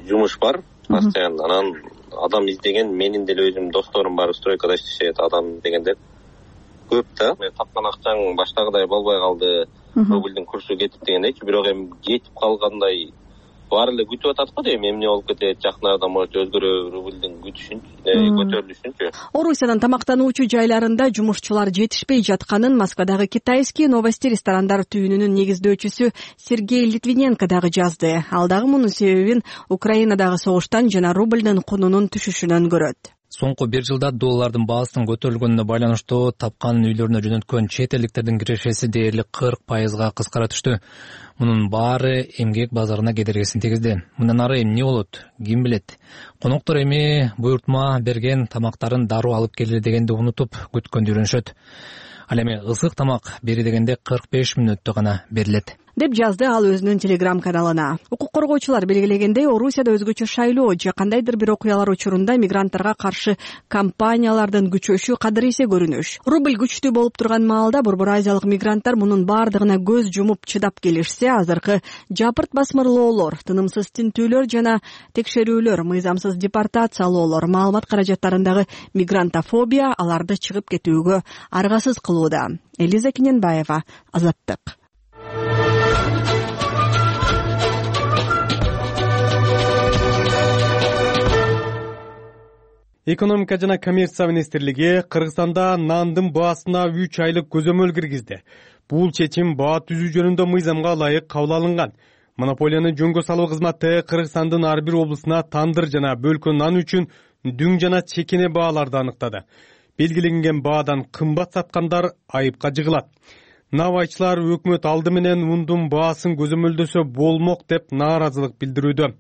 жумуш бар. Постоянно анан адам издеген, менин деле өзүм досторум бар, стройкада иштешет адам дегендер көп да. Мен тапкан акчаң баштагыдай болбой калды, рубльдин курсу кетип дегендейчи, бирок эми кетип калгандай баары эле күтүп атат го дейм. Эмне болуп кетет, жакын арада может өзгөрө рубльдин күтүшүн, көтөрүлүшүнчү. Орусиянын тамактануучу жайларында жумушчулар жетишпей жатканын Москвадагы Китайский новости ресторандар түйүнүнүн негиздөөчүсү Сергей Литвиненко дагы жазды. Ал дагы мунун себебин Украинадагы согуштан жана рубльдин кунунун түшүшүнөн көрөт. Соңку 1 жылда доллардын баасынын көтөрүлгөнүнө байланыштуу тапкан үйлөрүнө жөнөткөн чет элдиктердин кирешеси дээрлик 40%га кыскара түштү. Мунун баары эмгек базарына кедергисин тийгизди. Мындан ары эмне болот, ким билет. Коноктор эми буйртма берген тамактарын дароо алып келели дегенди унутуп күткөндү үйрөнүшөт. Ал эми ысык тамак бери дегенде 45 мүнөттө гана берилет, деп жазды ал өзүнүн телеграм каналына. Укук коргоочулар белгилегендей, Орусияда өзгөчө шайлоо же кандайдыр бир окуялар учурунда мигранттарга каршы кампаниялардын күчөшү кадыр эсе көрүнүш. Рубль күчтүү болуп турган маалда Борбор Азиялык мигранттар мунун бардыгына көз жумуп чыдап келишсе, азыркы жапырт басмырлоолор, тынымсыз тинтүүлөр жана текшерүүлөр, мыйзамсыз депортациялоолор, маалымат каражаттарындагы мигрантофобия аларды чыгып кетүүгө аргасыз кылууда. Элиза Кененбаева, Азаттык. Экономика жана коммерция министрлиги Кыргызстанда нандын баасына 3 айлык көзөмөл киргизди. Бул чечим баа түзүү жөнүндө мыйзамга ылайык кабыл алынган. Монополияны жөнгө салуу кызматы Кыргызстандын ар бир облусуна тандыр жана бөлкө нан үчүн дүң жана чекене бааларды аныктады. Белгиленген баадан кымбат саткандар айыпка жыгылат. Набайчылар өкмөт алды менен ундун баасын көзөмөлдөсө болмок деп нааразылык билдирүүдө.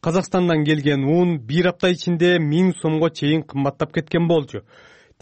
Казакстандан келген ун 1 апта ичинде 1000 сомго чейин кымбаттап кеткен болчу.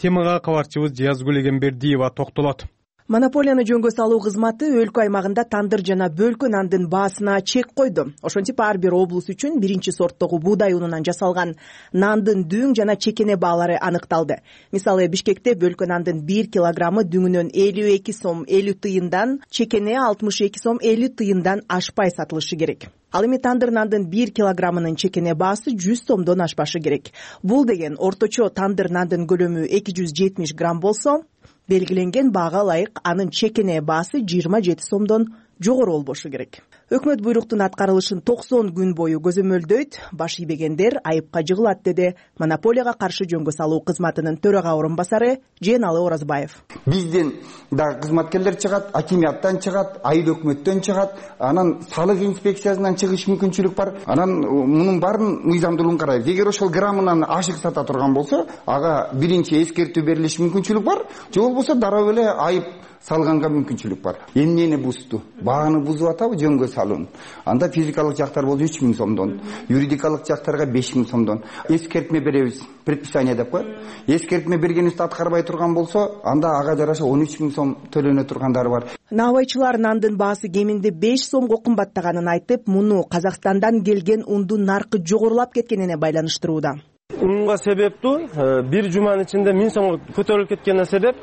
Темага кабарчыбыз Жиязгүл Эгембердиева токтолот. Монополияны жөнгө салуу кызматы өлкө аймагында тандыр жана бөлкө нандын баасына чек койду. Ошентип ар бир облус үчүн биринчи сорттогу буудай унунан жасалган нандын дүң жана чекене баалары аныкталды. Мисалы, Бишкекте бөлкө нандын 1 килограммы дүңүнөн 52 сом 50 тыйындан, чекене 62 сом 50 тыйындан ашпай сатылышы керек. Ал эми тандыр нандын 1 килограммынын чекене баасы 100 сомдон ашпашы керек. Бул деген орточо тандыр нандын көлөмү 270 грамм болсо, белгиленген баага ылайык анын чекене баасы 27 сомдон жогору болбошу керек. өкмөт буйруктун аткарылышын 90 күн бою көзөмөлдөйт, баш ийбегендер айыпка жыгылат, деди монополияга каршы жөнгө салуу кызматынын төрага орун басары Жээналы Оразбаев. Бизден дагы кызматкерлер чыгат, акимияттан чыгат, айыл өкмөттөн чыгат, анан салык инспекциясынан чыгыш мүмкүнчүлүк бар. Анан мунун баарын мыйзамдуулугун карайбыз. Эгер ошол граммынан ашык сата турган болсо, ага биринчи эскертүү берилиш мүмкүнчүлүк бар, же болбосо дароо эле айып салганга мүмкүнчүлүк бар. Эмнени бузду? Бааны бузуп атабы жөнгө салуун? Анда физикалык жактар болсо 3000 сомдон, юридикалык жактарга 5000 сомдон эскертме беребиз, предписание деп коет. Эскертме бергенибизди аткарбай турган болсо, анда ага жараша 13000 сом төлөнө тургандары бар. Наабайчылар нандын баасы кеминде 5 сомго кымбаттаганын айтып, муну Казакстандан келген ундун наркы жогорулап кеткенине байланыштырууда. Унга себептүү бир жуманын ичинде 1000 сомго көтөрүлүп кеткенине себеп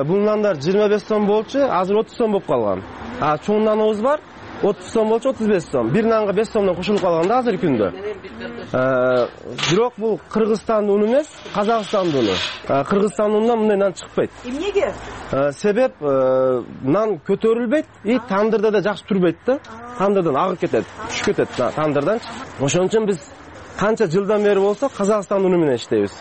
бул нандар 25 сом болчу, азыр 30 сом болуп калган. Чоң наныбыз бар, 30 сом болчу, 35 сом. Бир нанга 5 сомдон кошулуп калган да азыркы күндө. Бирок бул Кыргызстандын уну эмес, Казакстандын уну. Кыргызстандын унунан мындай нан чыкпайт. Эмнеге? Себеп нан көтөрүлбөйт, тандырда да жакшы турбайт да. Тандырдан агып кетет, түшүп кетет тандырдан. Ошон үчүн биз канча жылдан бери болсо Казакстан уну менен иштейбиз.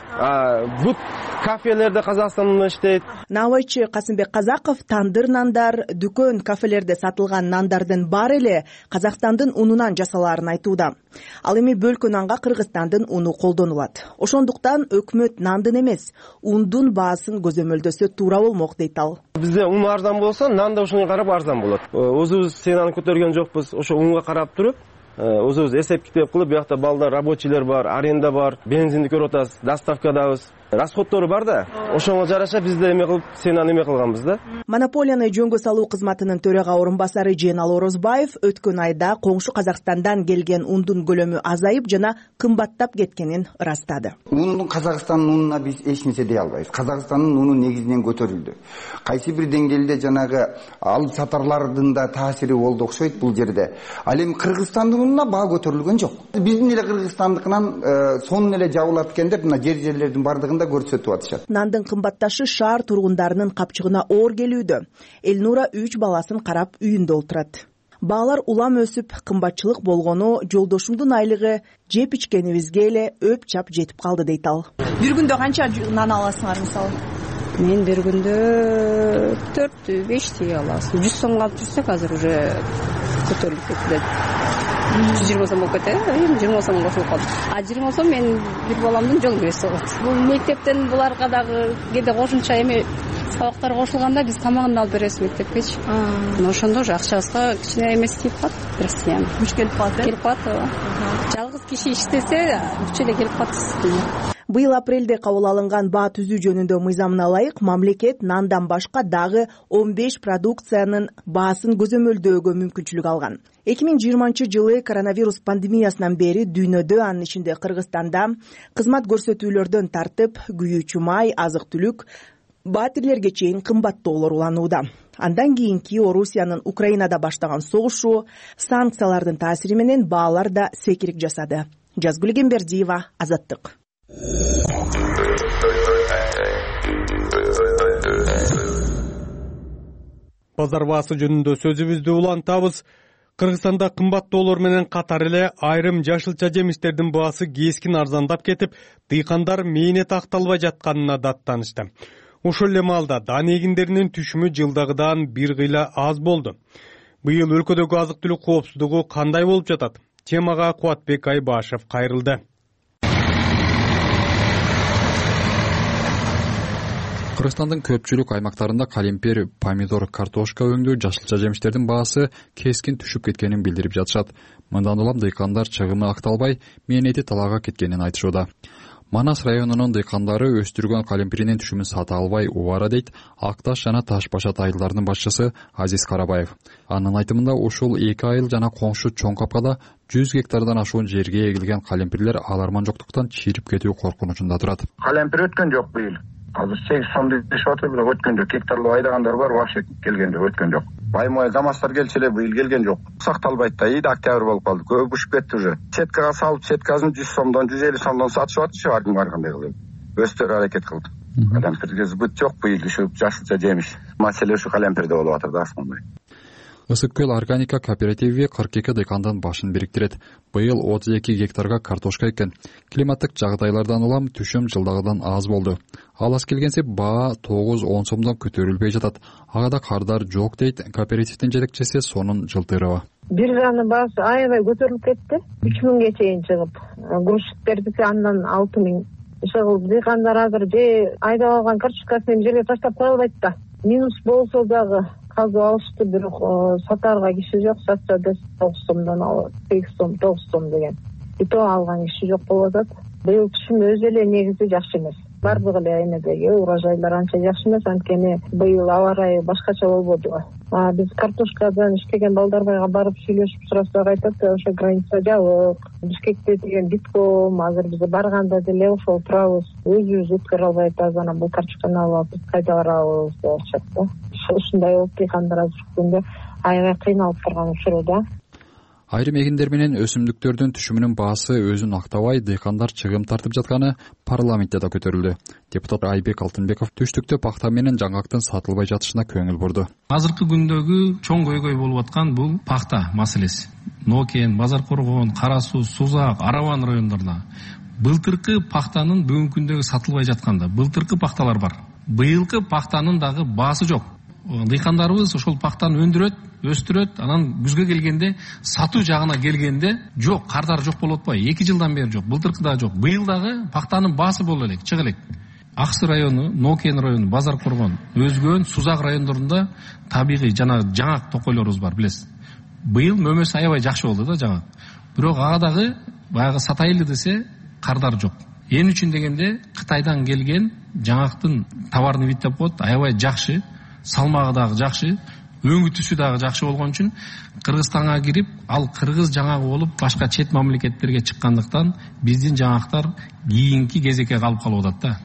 Бут кафелерде Казакстан уну иштейт. Наабайчы Касымбек Казаков тандыр нандар, дүкөн, кафелерде сатылган нандардын баары эле Казакстандын унунан жасалаарын айтууда. Ал эми бөлкө нанга Кыргызстандын уну колдонулат. Ошондуктан өкмөт нандын эмес, ундун баасын көзөмөлдөсө туура болмок, дейт ал. Бизде ун арзан болсо, нан да ошондой карап арзан болот. Өзүбүз ценаны көтөргөн жокпуз, ошо унга карап туруп, өзүбүз эсеп китеп кылып, биякта балдар, рабочийлер бар, аренда бар, бензинди көрүп атасыз, доставкадабыз. Расходтору бар да, ошого жараша бизде эме кылып, ценаны эме кылганбыз да. Монополияны жөнгө салуу кызматынын төрага орун басары Жээналы Орозбаев өткөн айда коңшу Казакстандан келген ундун көлөмү азайып жана кымбаттап кеткенин ырастады. Ундун Казакстандын унуна биз эч нерсе дей албайбыз. Казакстандын уну негизинен көтөрүлдү. Кайсы бир деңгээлде жанагы алып сатарлардын да таасири болду окшойт бул жерде. Ал эми Кыргызстандын унуна баа көтөрүлгөн жок. Биздин эле Кыргызстандыкынан сонун эле жабылат экен деп мына жерлердин бардыгында көрсөтүп атышат. Нандын кымбатташы шаар тургундарынын капчыгына оор келүүдө. Элнура 3 баласын карап үйүндө отурат. Баалар улам өсүп, кымбатчылык болгону жолдошумдун айлыгы жеп ичкенибизге эле өп чап жетип калды, дейт ал. Бир күндө канча нан аласыңар мисалы? Мен бир күндө 4-5 тиги аласыз. 100 сомго алып жүрсөк азыр уже көтөрүлүп кетти. 120 сом болуп кетти, эми 20 сом кошулуп калды. 20 сом мен бир баламдын жол киреси болот. Бул мектептен буларга дагы кээде кошумча эми сабактар кошулганда биз тамагын алып беребиз мектепкечи. Ошондо уже акчабызга кичине эмеси тийип калат, бирсиян. Күч келип калат, келип калат. Жалгыз киши иштесе, күч эле келип калат. Быйыл апрелде кабыл алынган баа түзүү жөнүндө мыйзамына ылайык мамлекет нандан башка дагы 15 продукциянын баасын көзөмөлдөөгө мүмкүнчүлүк алган. 2020 жылы коронавирус пандемиясынан бери дүйнөдө, анын ичинде Кыргызстанда кызмат көрсөтүүлөрдөн тартып күйүүчү май, азык-түлүк, баатирлерге чейин кымбаттоолор уланууда. Андан кийинки Орусиянын Украинада баштаган согушу, санкциялардын таасири менен баалар да секирик жасады. Жазгүл Эмбердиева, Азаттык. Базар баасы жөнүндө сөзүбүздү улантабыз. Кыргызстанда кымбаттоолор менен катар эле айрым жашылча жемиштердин баасы кескин арзандап кетип, дыйкандар мээнет акталбай жатканына даттанышты. Ошол эле маалда дан эгиндеринин түшүмү жылдагыдан бир кыйла аз болду. Быйыл өлкөдөгү азык-түлүк коопсуздугу кандай болуп жатат? Темага Кубатбек Айбашев кайрылды. Кыргызстандын көпчүлүк аймактарында калемпир, помидор, картошка өңдүү жашылча жемиштердин баасы кескин түшүп кеткенин билдирип жатышат. Мындан улам дыйкандар чыгымы акталбай, мээнети талаага кеткенин айтышууда. Манас районунун дыйкандары өстүргөн калемпиринин түшүмүн сата албай убара, дейт Ак Таш жана Таш Башат айылдарынын башчысы Азиз Карабаев. Анын айтымында ушул 2 айыл жана коңшу Чоң Капкада 100 гектардан ашуун жерге эгилген калемпирлер аларман жоктуктан чирип кетүү коркунучунда турат. Калемпир өткөн жок быйыл. Азыр 8 сом дешип атат, бирок өткөн жок. Гектарлап айдагандар бар, вообще келген жок, өткөн жок. Баймой КамАЗдар келчү эле, быйыл келген жок. Сакталбайт да, иде октябрь болуп калды. Көп ушуп кетти уже. Сеткага салып, сеткасын 100 сомдон, 150 сомдон сатышып атышты, ар ким кандай кылып. Өстөр аракет кылды. Калемпирге сбыт жок быйыл, ушу жашылча жемиш. Маселе ушу калемпирде болуп атат да, асмандай. Ысык көл органика кооперативи 42 дыйкандын башын бириктирет. Быйыл 32 гектарга картошка эккен. Климаттык жагдайлардан улам түшүм жылдагыдан аз болду. Ал аз келгенсе баа 9-10 сомдон көтөрүлбөй жатат. Ага да кардар жок дейт кооперативдин жетекчиси Сонун Жылтырова. Биржанын баасы аябай көтөрүлүп кетти. 3000ге чейин чыгып, грузчиктердики андан 6000 чыгып, дыйкандар азыр же айдап алган картошкасын жерге таштап кое албайт да. Минус болсо дагы казып алышты, бирок сатарга киши жок. Сатса да 9 сомдон алат, 8 сом, 9 сом деген. И то алган киши жок болуп атат. Быйыл түшүм өзү эле негизи жакшы эмес. Бардык эле эмедеги урожайлар анча жакшы эмес, анткени быйыл аба ырайы башкача болбоду. Биз картошкадан иштеген Балдарбайга барып сүйлөшүп сурасак айтат, ошо граница жабык. Бишкекте деген битком, азыр биз барганда деле ошол турабыз. Өзүбүз өткөрө албайт, анан бул картошканы алып биз кайда барабыз деп атышат да. Ушундай болуп дыйкандар азыркы күндө аябай кыйналып турган учурда. Айрым эгиндер менен өсүмдүктөрдүн түшүмүнүн баасы өзүн актабай, дыйкандар чыгым тартып жатканы парламентте да көтөрүлдү. Депутат Айбек Алтынбеков түштүктө пахта менен жаңгактын сатылбай жатышына көңүл бурду. Азыркы күндөгү чоң көйгөй болуп аткан бул пахта маселеси. Нокен, Базар Коргон, Кара Суу, Сузак, Араван райондорунда былтыркы пахтанын бүгүнкү күндөгү сатылбай жатканда былтыркы пахталар бар. Быйылкы пахтанын дагы баасы жок. Дыйкандарыбыз ошол пахтаны өндүрөт, өстүрөт, анан күзгө келгенде сатуу жагына келгенде жок, кардар жок болуп атпайбы? 2 жылдан бери жок, былтыркы да жок. Быйыл дагы пахтанын баасы боло элек, чыга элек. Аксы району, Нокен району, Базар Коргон, өзгөн Сузак райондорунда табигый жана жаңак токойлорубуз бар, билесиз. Быйыл мөмөсү аябай жакшы болду да жаңак. Бирок ага дагы баягы сатайлы десе кардар жок. Эмне үчүн дегенде Кытайдан келген жаңактын товарный вид деп коет, аябай жакшы. Салмагы дагы жакшы, өңүтүсү дагы жакшы болгон үчүн Кыргызстанга кирип, ал кыргыз жаңагы болуп, башка чет мамлекеттерге чыккандыктан биздин жаңактар кийинки кезекке калып атат да.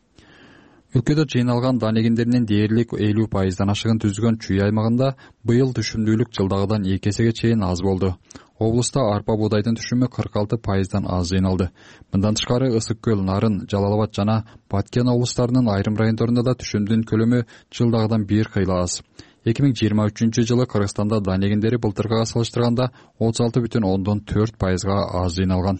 Өлкөдө жыйналган дан эгиндеринин дээрлик 50%дан ашыгын түзгөн Чүй аймагында быйыл түшүмдүүлүк жылдагыдан 2 эсеге чейин аз болду. Облуста арпа буудайдын түшүмү 46%дан аз жыйналды. Мындан тышкары Ысык көл, Нарын, Жалал Абад жана Баткен облустарынын айрым райондорунда да түшүмдүн көлөмү жылдагыдан 1 кыйла аз. 2023 жылы Кыргызстанда дан эгиндери былтыркыга салыштырганда 36,4%га аз жыйналган.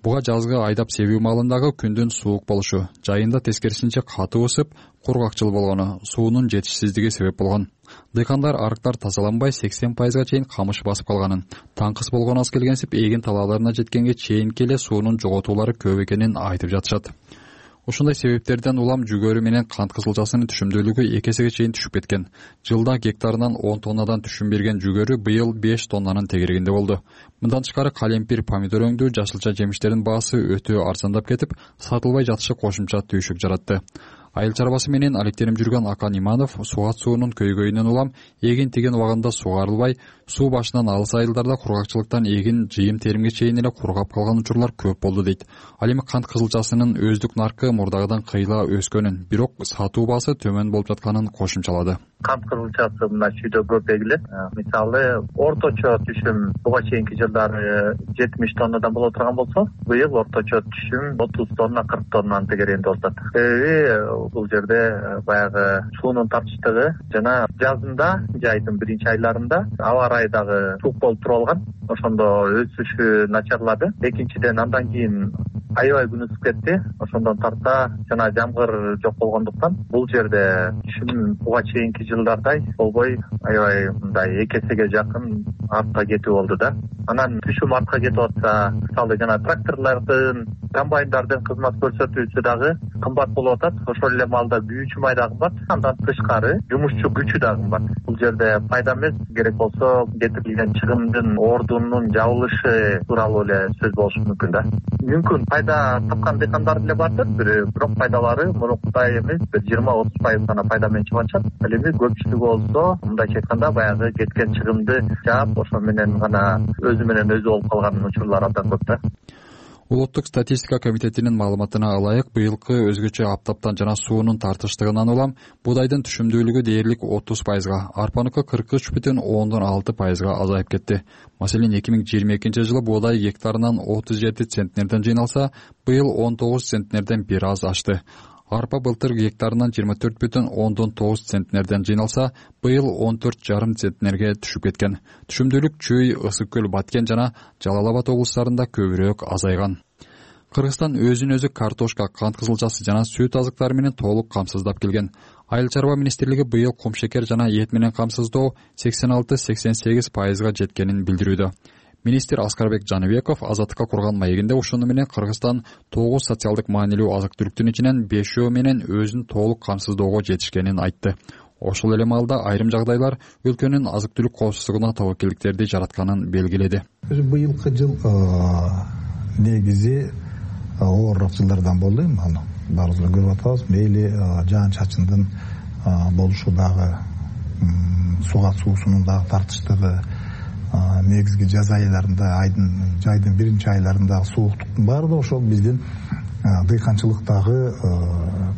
Буга жазгы айдап себүү маалындагы күндүн суук болушу, жайында тескерисинче катуу ысып, кургакчыл болгону, суунун жетишсиздиги себеп болгон. Дыйкандар арыктар тазаланбай 80%га чейин камыш басып калганын, таңкыс болгон аз келгенсип эгин талааларына жеткенге чейинки эле суунун жоготуулары көп экенин айтып жатышат. Ушундай себептерден улам жүгөрү менен кант кызылчасынын түшүмдүүлүгү 2 эсеге чейин түшүп кеткен. Жылда гектарынан 10 тоннадан түшүм берген жүгөрү быйыл 5 тоннанын тегерегинде болду. Мындан тышкары калемпир, помидор өңдүү жашылча жемиштердин баасы өтө арзандап кетип, сатылбай жатышы кошумча түйшүк жаратты. Айыл чарбасы менен алектенип жүргөн Акан Иманов суат суунун көйгөйүнөн улам эгин тиген убагында сугарылбай, суу башынан алыс айылдарда кургакчылыктан эгин жыйым теримге чейин эле кургап калган учурлар көп болду дейт. Ал эми кант кызылчасынын өздүк наркы мурдагыдан кыйла өскөнүн, бирок сатуу баасы төмөн болуп жатканын кошумчалады. Кант кызылчасы мына чүйдө көп эгилет. Мисалы, орточо түшүм буга чейинки жылдары 70 тоннадан боло турган болсо, быйыл орточо түшүм 30 тонна, 40 тоннанын тегерегинде болуп атат. Себеби бул жерде баягы суунун тапчылыгы жана жазында, жайдын биринчи айларында аба ырайы дагы суук болуп туруп алган. Ошондо өсүшү начарлады. Экинчиден андан кийин аябай күн ысып кетти. Ошондон тарта жана жамгыр жок болгондуктан бул жерде түшүм буга чейинки жылдардай болбой аябай мындай 2 эсеге жакын артка кетүү болду да. Анан түшүм артка кетип атса, мисалы жана тракторлордун, комбайндардын кызмат көрсөтүүсү дагы кымбат болуп атат. Ошол эле маалда күйүүчү май дагы кымбат. Андан тышкары жумушчу күчү дагы кымбат. Бул жерде пайда эмес, керек болсо кетирилген чыгымдын ордунун жабылышы тууралуу эле сөз болушу мүмкүн да. Мүмкүн пайда тапкан дыйкандар деле бардыр, бирок пайдалары мурункудай эмес, 20-30% гана пайда менен чыгып атышат. Ал эми көпчүлүгү болсо, мындайча айтканда баягы кеткен чыгымды жаап, ошо менен гана өзү менен өзү болуп калган учурлар абдан көп да. Улуттук статистика комитетинин маалыматына ылайык, быйылкы өзгөчө аптаптан жана суунун тартыштыгынан улам буудайдын түшүмдүүлүгү дээрлик 30%га, арпаныкы 43,6%га азайып кетти. Маселен, 2022 жылы буудай гектарынан 37 центнерден жыйналса, быйыл 19 центнерден бир аз ашты. Арпа былтыр гектарынан 24,9 центнерден жыйналса, быйыл 14,5 центнерге түшүп кеткен. Түшүмдүүлүк Чүй, Ысык көл, Баткен жана Жалал Абад облустарында көбүрөөк азайган. Кыргызстан өзүн-өзү картошка, кант кызылчасы жана сүт азыктары менен толук камсыздап келген. Айыл чарба министрлиги быйыл кумшекер жана эт менен камсыздоо 86-88% жеткенин билдирүүдө. Министр Аскарбек Жаныбеков Азаттыкка курган маегинде ошону менен Кыргызстан 9 социалдык маанилүү азык-түлүктүн ичинен 5 менен өзүн толук камсыздоого жетишкенин айтты. Ошол эле маалда айрым жагдайлар өлкөнүн азык-түлүк коопсуздугуна тобокелдиктерди жаратканын белгиледи. Быйылкы жыл негизи оорураак жылдардан болду. Аны баарыбыз эле көрүп атабыз. Мейли жаан-чачындын болушу дагы, суга суусунун дагы тартыштыгы, негизги жаз айларында, жайдын биринчи айларындагы сууктуктун баары да ошол биздин дыйканчылыктагы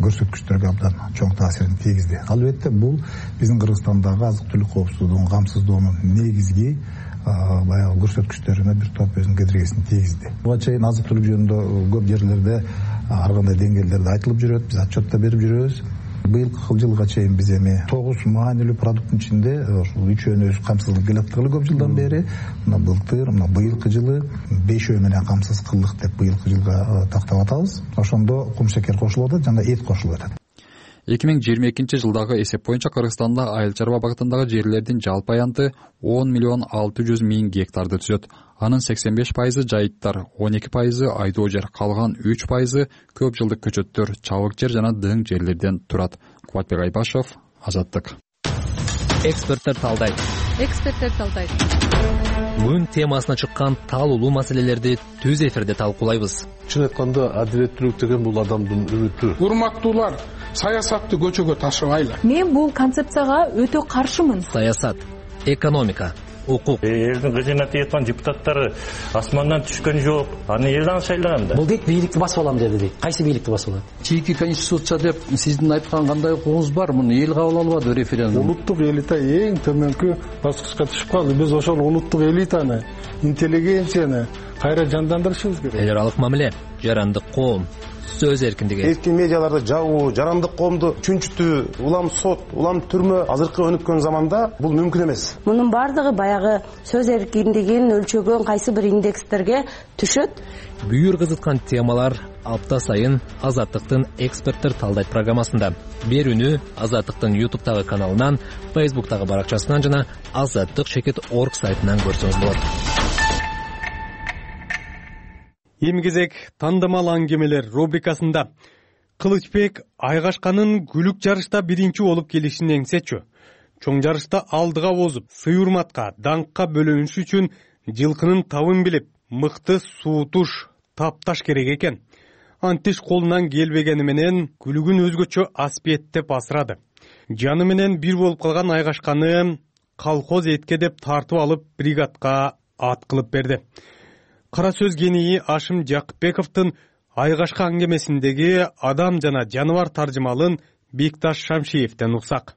көрсөткүчтөргө абдан чоң таасирин тийгизди. Албетте бул биздин Кыргызстандагы азык-түлүк коопсуздугун камсыздоонун негизги баягы көрсөткүчтөрүнө бир топ өзүнүн кедергисин тийгизди. Буга чейин азык-түлүк жөнүндө көп жерлерде ар кандай деңгээлдерде айтылып жүрөт, биз отчет да берип жүрөбүз. Быйылкы жылга чейин биз эми 9 маанилүү продукттун ичинде ушул 3-өнү өз камсыздап келаткалы көп жылдан бери. Мына былтыр, мына быйылкы жылы 5 менен камсыз кылдык деп быйылкы жылга тактап атабыз. Ошондо кумшекер кошулуп атат жана эт кошулуп атат. 2022 жылдагы эсеп боюнча Кыргызстанда айыл чарба багытындагы жерлердин жалпы аянты 10,600,000 гектарды түзөт. Анын 85% жайыттар, 12% айдоо жер, калган 3% көп жылдык көчөттөр, чабык жер жана дың жерлерден турат. Кубатбек Айбашев, Азаттык. Эксперттер талдайт. Күн темасына чыккан талуулуу маселелерди түз эфирде талкуулайбыз. Чын айтканда адилеттүүлүк деген бул адамдын үмүтү. Урматтуулар, саясатты көчөгө ташыбайлы. Мен бул концепцияга өтө каршымын. Саясат, экономика, укук. Элдин кызына тиеткан депутаттары асмандан түшкөн жок. Аны элдин шайлаган да. Бул дейт бийликти басып алам деди дейт. Кайсы бийликти басып алат? Чийки конституция деп сиздин айткан кандай укугуңуз бар? Муну эл кабыл албады референдум. Улуттук элита эң төмөнкү баскычка түшүп калды. Биз ошол улуттук элитаны, интеллигенцияны кайра жандандырышыбыз керек. Эл аралык мамиле, жарандык коом, сөз эркиндиги. Эркин медиаларды жабуу, жарандык коомду чүнчүтүү, улам сот, улам түрмө азыркы өнүккөн заманда бул мүмкүн эмес. Мунун бардыгы баягы сөз эркиндигин өлчөгөн кайсы бир индекстерге түшөт. Бүйүр кызыткан темалар апта сайын Азаттыктын эксперттер талдайт программасында. Берүүнү Азаттыктын YouTube'тагы каналынан, Facebook'тагы баракчасынан жана azаттык.org сайтынан көрсөңүз болот. Эмгезек тандамал аңгемелер рубрикасында Кылычбек Айгашканын күлүк жарышта биринчи болуп келишин эңсечү. Чоң жарышта алдыга озуп, сый урматка, даңкка бөлөнүш үчүн жылкынын табын билип, мыкты суутуш, тапташ керек экен. Антиш колунан келбегени менен күлүгүн өзгөчө аспеттеп асырады. Жаны менен бир болуп калган Айгашканы колхоз этке деп тартып алып бригадка ат кылып берди. Кара сөз гении Ашым Жакыпбековдун Айгашка аңгемесиндеги адам жана жаныбар таржымалын Бекташ Шамшиевден уксак.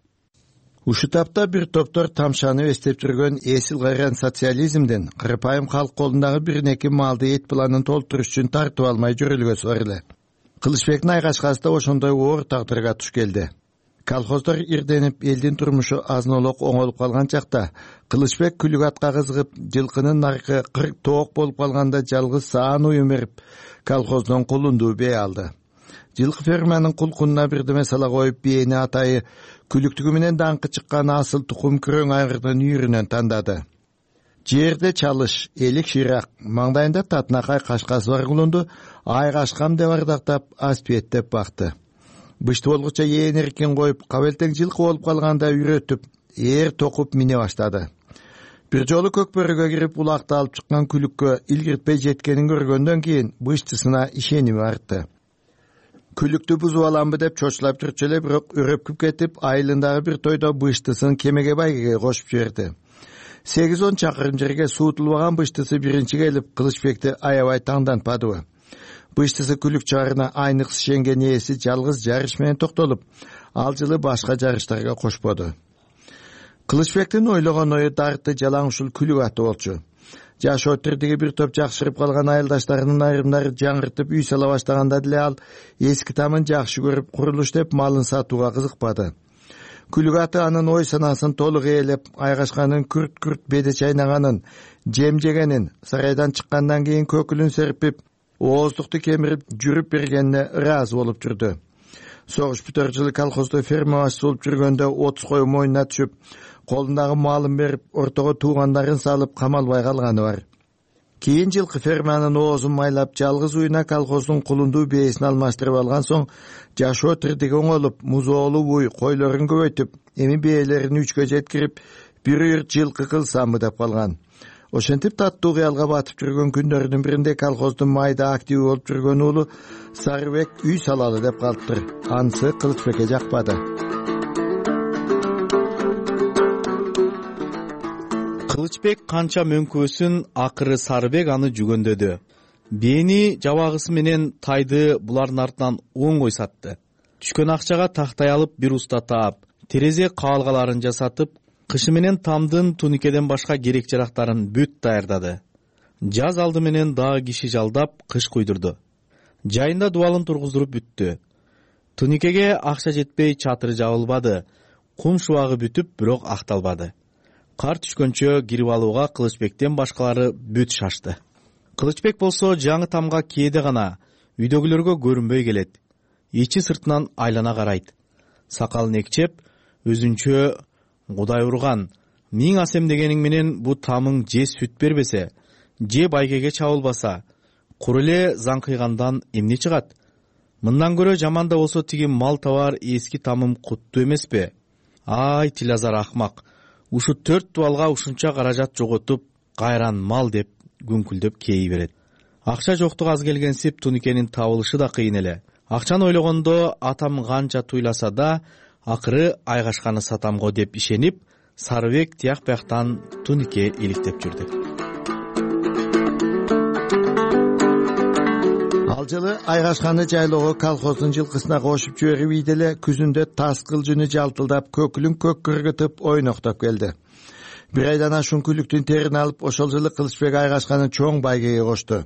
Ушул тапта бир топтор тамшанып эстеп жүргөн эсил кайран социализмден кырпайым калк колундагы биринеки малды эт планын толтуруш үчүн тартып алмай жүрүлгөсү бар эле. Кылычбектин Айгашкасы да ошондой оор тагдырга туш келди. Колхоздор ирденип, элдин турмушу азнолок оңолуп калган чакта Кылычбек күлүк атка кызыгып, жылкынын наркы 40 тоок болуп калганда жалгыз саан уюм берип, колхоздон кулундуу бээ алды. Жылкы ферманын кулкунуна бирдеме сала коюп, бээни атайы күлүктүгү менен даңкы чыккан асыл тукум күрөң айгырдын үйрүнөн тандады. Жерде чалыш, элик ширак, маңдайында татынакай кашкасы бар кулунду Айгашкам деп ардактап, аспиеттеп бакты. Бышты болгуча ээн эркин коюп, кабелтең жылкы болуп калганда үйрөтүп, ээр токуп мине баштады. Бир жолу көкбөрөгө кирип улакты алып чыккан күлүккө илгиртпей жеткенин көргөндөн кийин быштысына ишеними артты. Күлүктү бузуп аламбы деп чочулап жүрчү эле, бирок өрөпкүп кетип, айылындагы бир тойдо быштысын кемеге байгеге кошуп жиберди. 8-10 чакырым жерге суутулбаган быштысы биринчи келип, Кылычбекти аябай таңдантпадыбы. Быштысы күлүк чыгарына айныкс ишенген ээси жалгыз жарыш менен токтолуп, ал жылы башка жарыштарга кошподу. Кылычбектин ойлогон ою дарты жалаң ушул күлүк аты болчу. жашоо тирдиги бир топ жакшырып калган айылдаштарынын айрымдары жаңыртып үй сала баштаганда деле ал эски тамын жакшы көрүп курулуш деп малын сатууга кызыкпады. Күлүк аты анын ой санаасын толук ээлеп, Айгашканын күрт беде чайнаганын, жем жегенин, сарайдан чыккандан кийин көкүлүн серпип, ооздукту кемирип жүрүп бергенине ыраазы болуп жүрдү. Согуш бүтөр жылы колхоздо ферма башчысы болуп жүргөндө 30 кою мойнуна түшүп, колундагы малын берип, ортого туугандарын салып камалбай калганы бар. Кийин жылкы ферманын оозун майлап, жалгыз уйуна колхоздун кулундуу бээсин алмаштырып алган соң, жашоо тирдиги оңолуп, музоолуу уй койлорун көбөйтүп, эми бээлерин 3кө жеткирип, бир үйүр жылкы кылсамбы деп калган. Ошентип таттуу кыялга батып жүргөн күндөрүнүн биринде колхоздун майда активдүү болуп жүргөн уулу Сарыбек үй салалы деп калыптыр. Анысы Кылычбекке жакпады. Кылычбек канча мөңкөөсүн, акыры Сарыбек аны жүгөндөдү. Бээни жабагысы менен тайды булардын артынан оңой сатты. Түшкөн акчага тактай алып, бир уста таап, терезе каалгаларын жасатып, кышы менен тамдын туникеден башка керек жарактарын бүт даярдады. Жаз алды менен дагы киши жалдап, кыш куйдурду. Жайында дубалын тургуздуруп бүттү. Туникеге акча жетпей чатыры жабылбады, кум шубагы бүтүп, бирок акталбады. Кар түшкөнчө кирип алууга Кылычбектен башкалары бүт шашты. Кылычбек болсо жаңы тамга кээде гана, үйдөгүлөргө көрүнбөй келет. Ичи сыртынан айлана карайт. Сакалын экчеп, өзүнчө Кудай урган, миң асем дегениң менен бу тамың же сүт бербесе, же байгеге чабылбаса, кур эле заңкыйгандан эмне чыгат? Мындан көрө жаман да болсо тиги мал табар эски тамым куттуу эмеспи? Ай, Тилазар акмак. Ушу 4 дубалга ушунча каражат жоготуп, кайран мал деп күңкүлдөп кей берет. Акча жоктук аз келгенсип туникенин табылышы да кыйын эле. Акчаны ойлогондо атам канча туйласа да, акыры Айгашканы сатамго деп ишенип, Сарыбек тияк бияктан тунике иликтеп жүрдү. Ал жылы Айгашканы жайлоого колхоздун жылкысына кошуп жиберип ийди эле күзүндө тас кылжыны жалтылдап, көкүлүн көк кыргытып ойноктоп келди. Бир айдан ашуун күлүктүн терин алып, ошол жылы Кылычбек Айгашканы чоң байгеге кошту.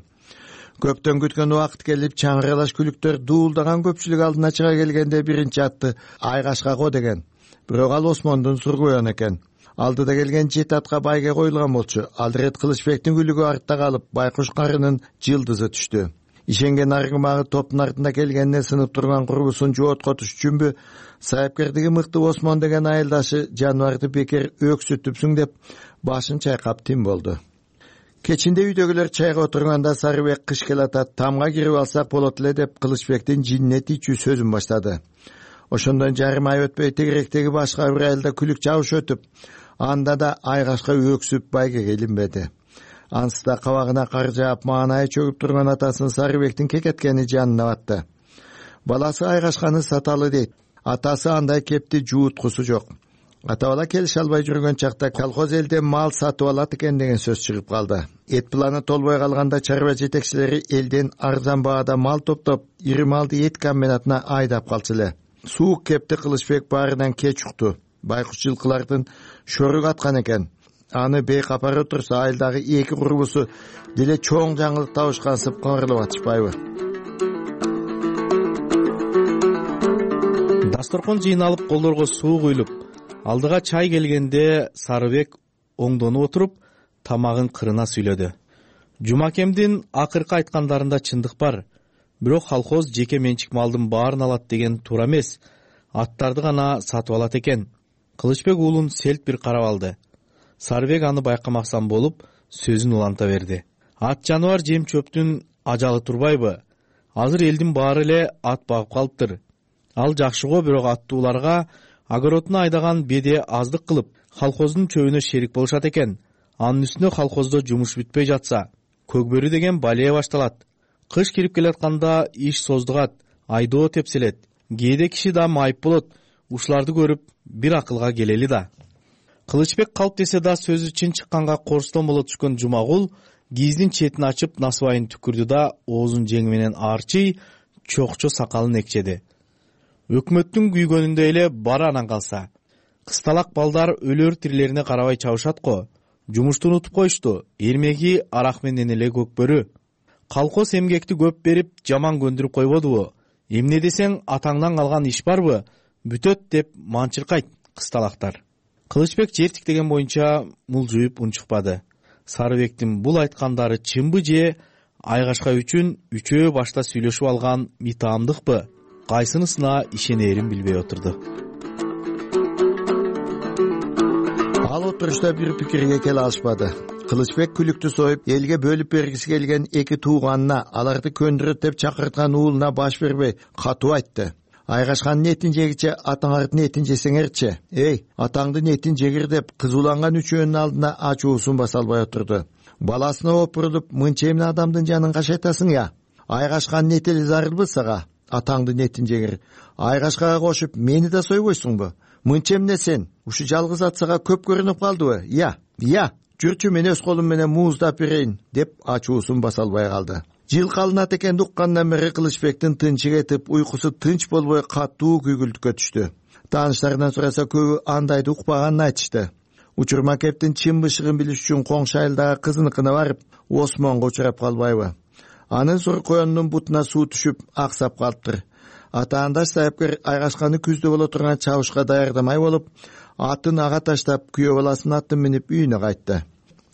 Көптөн күткөн убакыт келип, чаңыралаш күлүктөр дуулдаган көпчүлүк алдына чыга келгенде биринчи атты Айгашкаго деген. Бирок ал Осмондун Сургуян экен. Алдыда келген 7 атка байге коюлган болчу. Ал рет Кылычбектин күлүгү артта калып, байкуш карынын жылдызы түштү. Ишенген аргымагы топтун артында келгенине сынып турган курбусун жооткотуш үчүнбү, сайыпкердиги мыкты Осмон деген айылдашы жаныбарды бекер өксүтүпсүң деп башын чайкап тим болду. Кечинде үйдөгүлөр чайга отурганда Сарыбек кыш келатат, тамга кирип алсак болот эле деп Кылычбектин жинне тийчүү сөзүн баштады. Ошондон жарым ай өтпөй тегеректеги башка бир айылда күлүк жабыш өтүп, анда да Айгашка өксүп байгеге илинбеди. Ансы да кабагына кар жаап, маанайы чөгүп турган атасын Сарыбектин кекеткени жанына батты. Баласы Айгашканы саталы дейт. Атасы андай кепти жууткусу жок. Ата бала келише албай жүргөн чакта колхоз элде мал сатып алат экен деген сөз чыгып калды. Эт планы толбой калганда чарба жетекчилери элден арзан баада мал топтоп, ири малды эт комбинатына айдап калчу эле. Суук кепти Кылычбек баарынан кеч укту. Байкуш жылкылардын шорук аткан экен. Аны бейкапары турса, айылдагы 2 курбусу деле чоң жаңылык табышкансып кыңырлап атышпайбы? Дасторкон жыйналып, колдорго суу куюлуп, алдыга чай келгенде Сарыбек оңдонуп отуруп, тамагын кырына сүйлөдү. Жумакемдин акыркы айткандарында чындык бар. Бирок колхоз жеке менчик малдын баарын алат деген туура эмес. Аттарды гана сатып алат экен. Кылычбек уулун селт бир карап алды. Сарыбек аны байкамаксан болуп, сөзүн уланта берди. Ат жаныбар жем чөптүн ажалы турбайбы? Азыр элдин баары эле ат багып калыптыр. Ал жакшы го, бирок аттууларга огородуна айдаган беде аздык кылып, колхоздун чөбүнө шерик болушат экен. Анын үстүнө колхоздо жумуш бүтпөй жатса, көгбөрү деген балия башталат. Кыш кирип келатканда иш создугат, айдоо тепселет. Кээде киши да майып болот. Ушуларды көрүп, бир акылга келели да. Кылычбек калп десе да сөзү чын чыкканга корстон боло түшкөн Жумагул кийиздин четин ачып насыбайын түкүрдү да оозун жеңи менен арчый, чокчо сакалын экчеди. Өкмөттүн күйгөнүндө эле бары анан калса. Кысталак балдар өлөр тирилерине карабай чабышат го. жумушту унутуп коюшту. Эрмеги арак менен эле көкбөрү. Колхоз эмгекти көп берип жаман көндүрүп койбодубу? Эмне десең, атаңдан калган иш барбы? Бүтөт деп манчыркайт кысталактар. Кылычбек жер тиктеген боюнча мулжуюп унчукпады. Сарыбектин бул айткандары чынбы же Айгашка үчүн үчөө башта сүйлөшүп алган митаамдыкпы? Кайсынысына ишенерин билбей отурду. Ал отурушта бир пикирге келе алышпады. Кылычбек күлүктү союп, элге бөлүп бергиси келген эки тууганына, аларды көндүрөт деп чакырткан уулуна баш бербей катуу айтты. Айгашканын этин жегиче атаңардын этин жесеңерчи. Эй, атаңдын этин жегир деп кызууланган үчөөнүн алдына ачуусун баса албай отурду. Баласына опурулуп, мынча эмне адамдын жанын кашайтасың я? Айгашканын эти эле зарылбы сага? Атаңдын этин жегир. Айгашкага кошуп, мени да сойбойсуңбу? Мынча эмне сен? Ушу жалгыз ат сага көп көрүнүп калдыбы? Я. Жүрчү, мен өз колум менен мууздап берейин деп ачуусун баса албай калды. Жылкалынат экенди уккандан бери Кылычбектин тынчы кетип, уйкусу тынч болбой катуу күйгүлтүккө түштү. Тааныштарынан сураса көбү андайды укпаганын айтышты. Учурма кептин чын бышыгын билиш үчүн коңшу айылдагы кызыныкына барып, Осмонго учурап калбайбы? Анын сур коёнунун бутуна суу түшүп, аксап калыптыр. Атаандаш сайыпкер Айгашканы күздө боло турган чабышка даярдамай болуп, атын ага таштап, күйөө баласын атын минип үйүнө кайтты.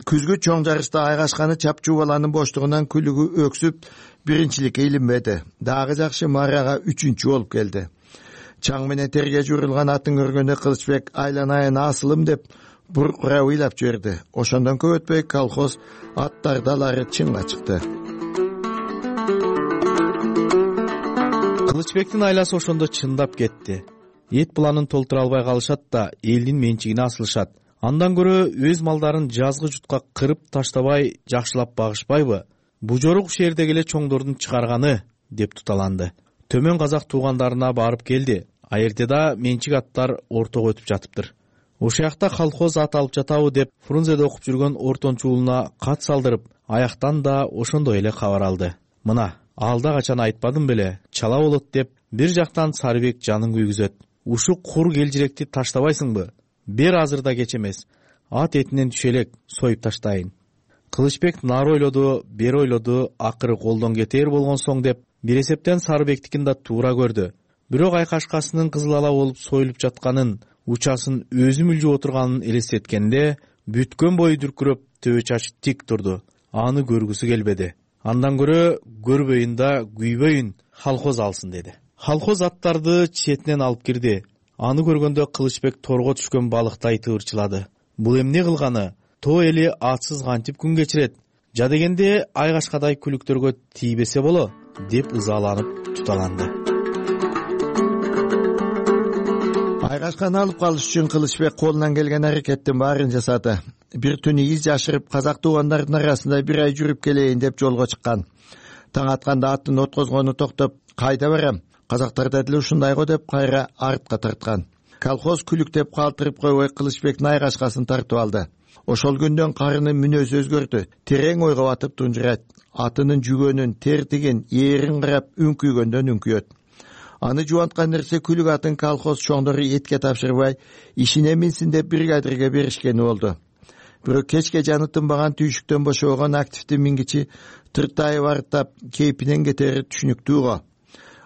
Күзгү чоң жарышта Айгашканы чапчуу баланын боштугунан күлүгү өксүп, биринчиликке илинбеди. Дагы жакшы Марияга үчүнчү болуп келди. Чаң менен терге жуурулган атын көргөндө Кылычбек айланайын асылым деп буркура ыйлап жиберди. Ошондон көп өтпөй колхоз аттар далары чынга чыкты. Кылычбектин айласы ошондо чындап кетти. Эт буланын толтура албай калышат да элдин менчигине асылышат. Андан көрө өз малдарын жазгы жутка кырып таштабай жакшылап багышпайбы? Бужорук шээрдеги эле чоңдордун чыгарганы деп туталанды. Төмөн казак туугандарына барып келди. Аертеда менчик аттар ортого өтүп жатыптыр. Ошоякта колхоз ат алып жатабы деп Фрунзеде окуп жүргөн ортончу уулуна кат салдырып, аяктан да ошондой эле кабар алды. Мына, алда качан айтпадым беле, чала болот деп бир жактан Сарыбек жанын күйгүзөт. Ушу кур келжиректи таштабайсыңбы? Бер азырда кеч эмес. Ат этинен түшө элек, союп таштайын. Кылычбек нары ойлоду, бери ойлоду, акыры колдон кетээр болгон соң деп бир эсептен Сарыбектикин да туура көрдү. Бирок айкашкасынын кызыл ала болуп союлуп жатканын, учасын өзү мүлжүп отурганын элестеткенде бүткөн бою дүркүрөп, төбө чачы тик турду. Аны көргүсү келбеди. Андан көрө көрбөйүн да күйбөйүн, колхоз алсын деди. Колхоз аттарды четинен алып кирди. Аны көргөндө Кылычбек торго түшкөн балыктай тыбырчылады. Бул эмне кылганы? То эли атсыз кантип күн кечирет? Жа дегенде Айгашкадай күлүктөргө тийбесе боло деп ызаланып туталанды. Айгашканы алып калыш үчүн Кылычбек колунан келген аракеттин баарын жасады. Бир түнү из жашырып, казак туугандардын арасында бир ай жүрүп келейин деп жолго чыккан. Таң атканда аттын откозгону токтоп, кайда барам? Казактарда деле ушундай го деп кайра артка тарткан. Колхоз күлүктеп калтырып койбой Кылычбектин Айгашкасын тартып алды. Ошол күндөн карынын мүнөзү өзгөрдү. Терең ойго батып тунжурайт. Атынын жүгөнүн, тертигин, ээрин карап үңкүйгөндөн үңкүйөт. Аны жубанткан нерсе күлүк атын колхоз чоңдору этке тапшырбай, ишине минсин деп бригадирге беришкени болду. Бирок кечке жаны тынбаган түйшүктөн бошобогон активдүү мингичи тыртайып арыттап, кейпинен кетери түшүнүктүү го.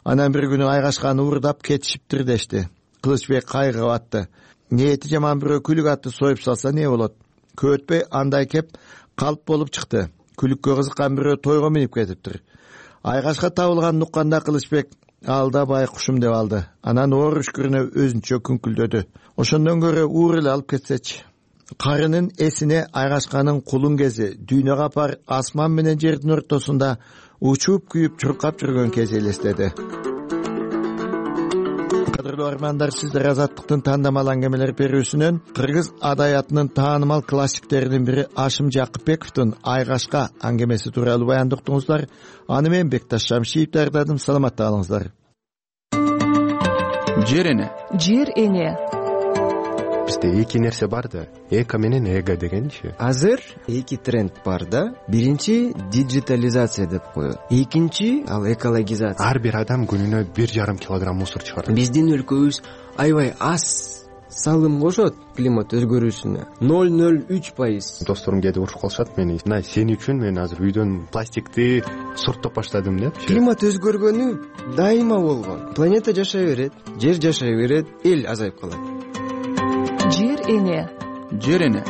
Анан бир күнү Айгашканы уурдап кетишиптир дешти. Кылычбек кайгыга батты. Ниети жаман бирөө күлүк атты союп салса не болот? Көп өтпөй андай кеп калп болуп чыкты. Күлүккө кызыккан бирөө тойго минип кетиптир. Айгашка табылганын укканда Кылычбек алда байкушум деп алды. Анан оор үшкүрүнө өзүнчө күңкүлдөдү. Ошондон көрө уур эле алып кетсечи. Карынын эсине Айгашканын кулун кези, дүйнө капар асман менен жердин ортосунда учуп күйүп чуркап жүргөн кези элестеди. Кадырлуу армандар, сиздер Азаттыктын тандамал аңгемелер берүүсүнөн кыргыз адаятынын таанымал классиктеринин бири Ашым Жакыпбековдун Айгашка аңгемеси тууралуу баянды уктуңуздар. Аны мен Бекташ Шамшиев даярдадым. Саламатта калыңыздар. Жер эне. Жер эне. Бизде эки нерсе бар да, эко менен эго дегенчи. Азыр эки тренд бар да. Биринчи диджитализация деп коет. Экинчи ал экологизация. Ар бир адам күнүнө 1,5 килограмм мусор чыгарат. Биздин өлкөбүз аябай аз салым кошот климат өзгөрүүсүнө 0,03%. Досторум кээде урушуп калышат мени. Мына сен үчүн мен азыр үйдөн пластикти сорттоп баштадым деп. Климат өзгөргөнү дайыма болгон. Планета жашай берет, жер жашай берет, эл азайып калат. Жер эне. Жер эне.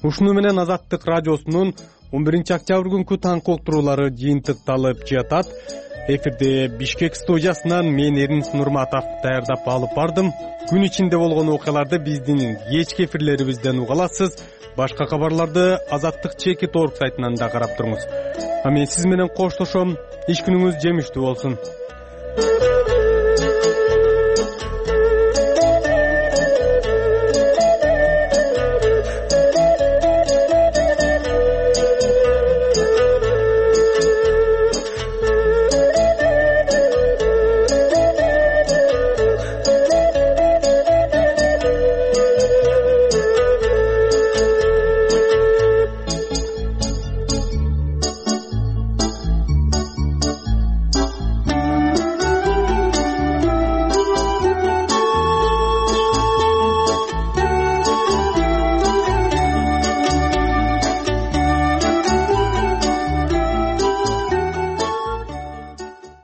Ушуну менен Азаттык радиосунун 11-октябрь күнкү таңкы уктуруулары жыйынтыкталып жатат. Эфирде Бишкек студиясынан мен Эрнис Нурматов даярдап алып бардым. Күн ичинде болгон окуяларды биздин кечки эфирлерибизден уга аласыз. Башка кабарларды Азаттык Чекит.org сайтынан да карап туруңуз. Мен сиз менен коштошом. Иш күнүңүз жемиштүү болсун.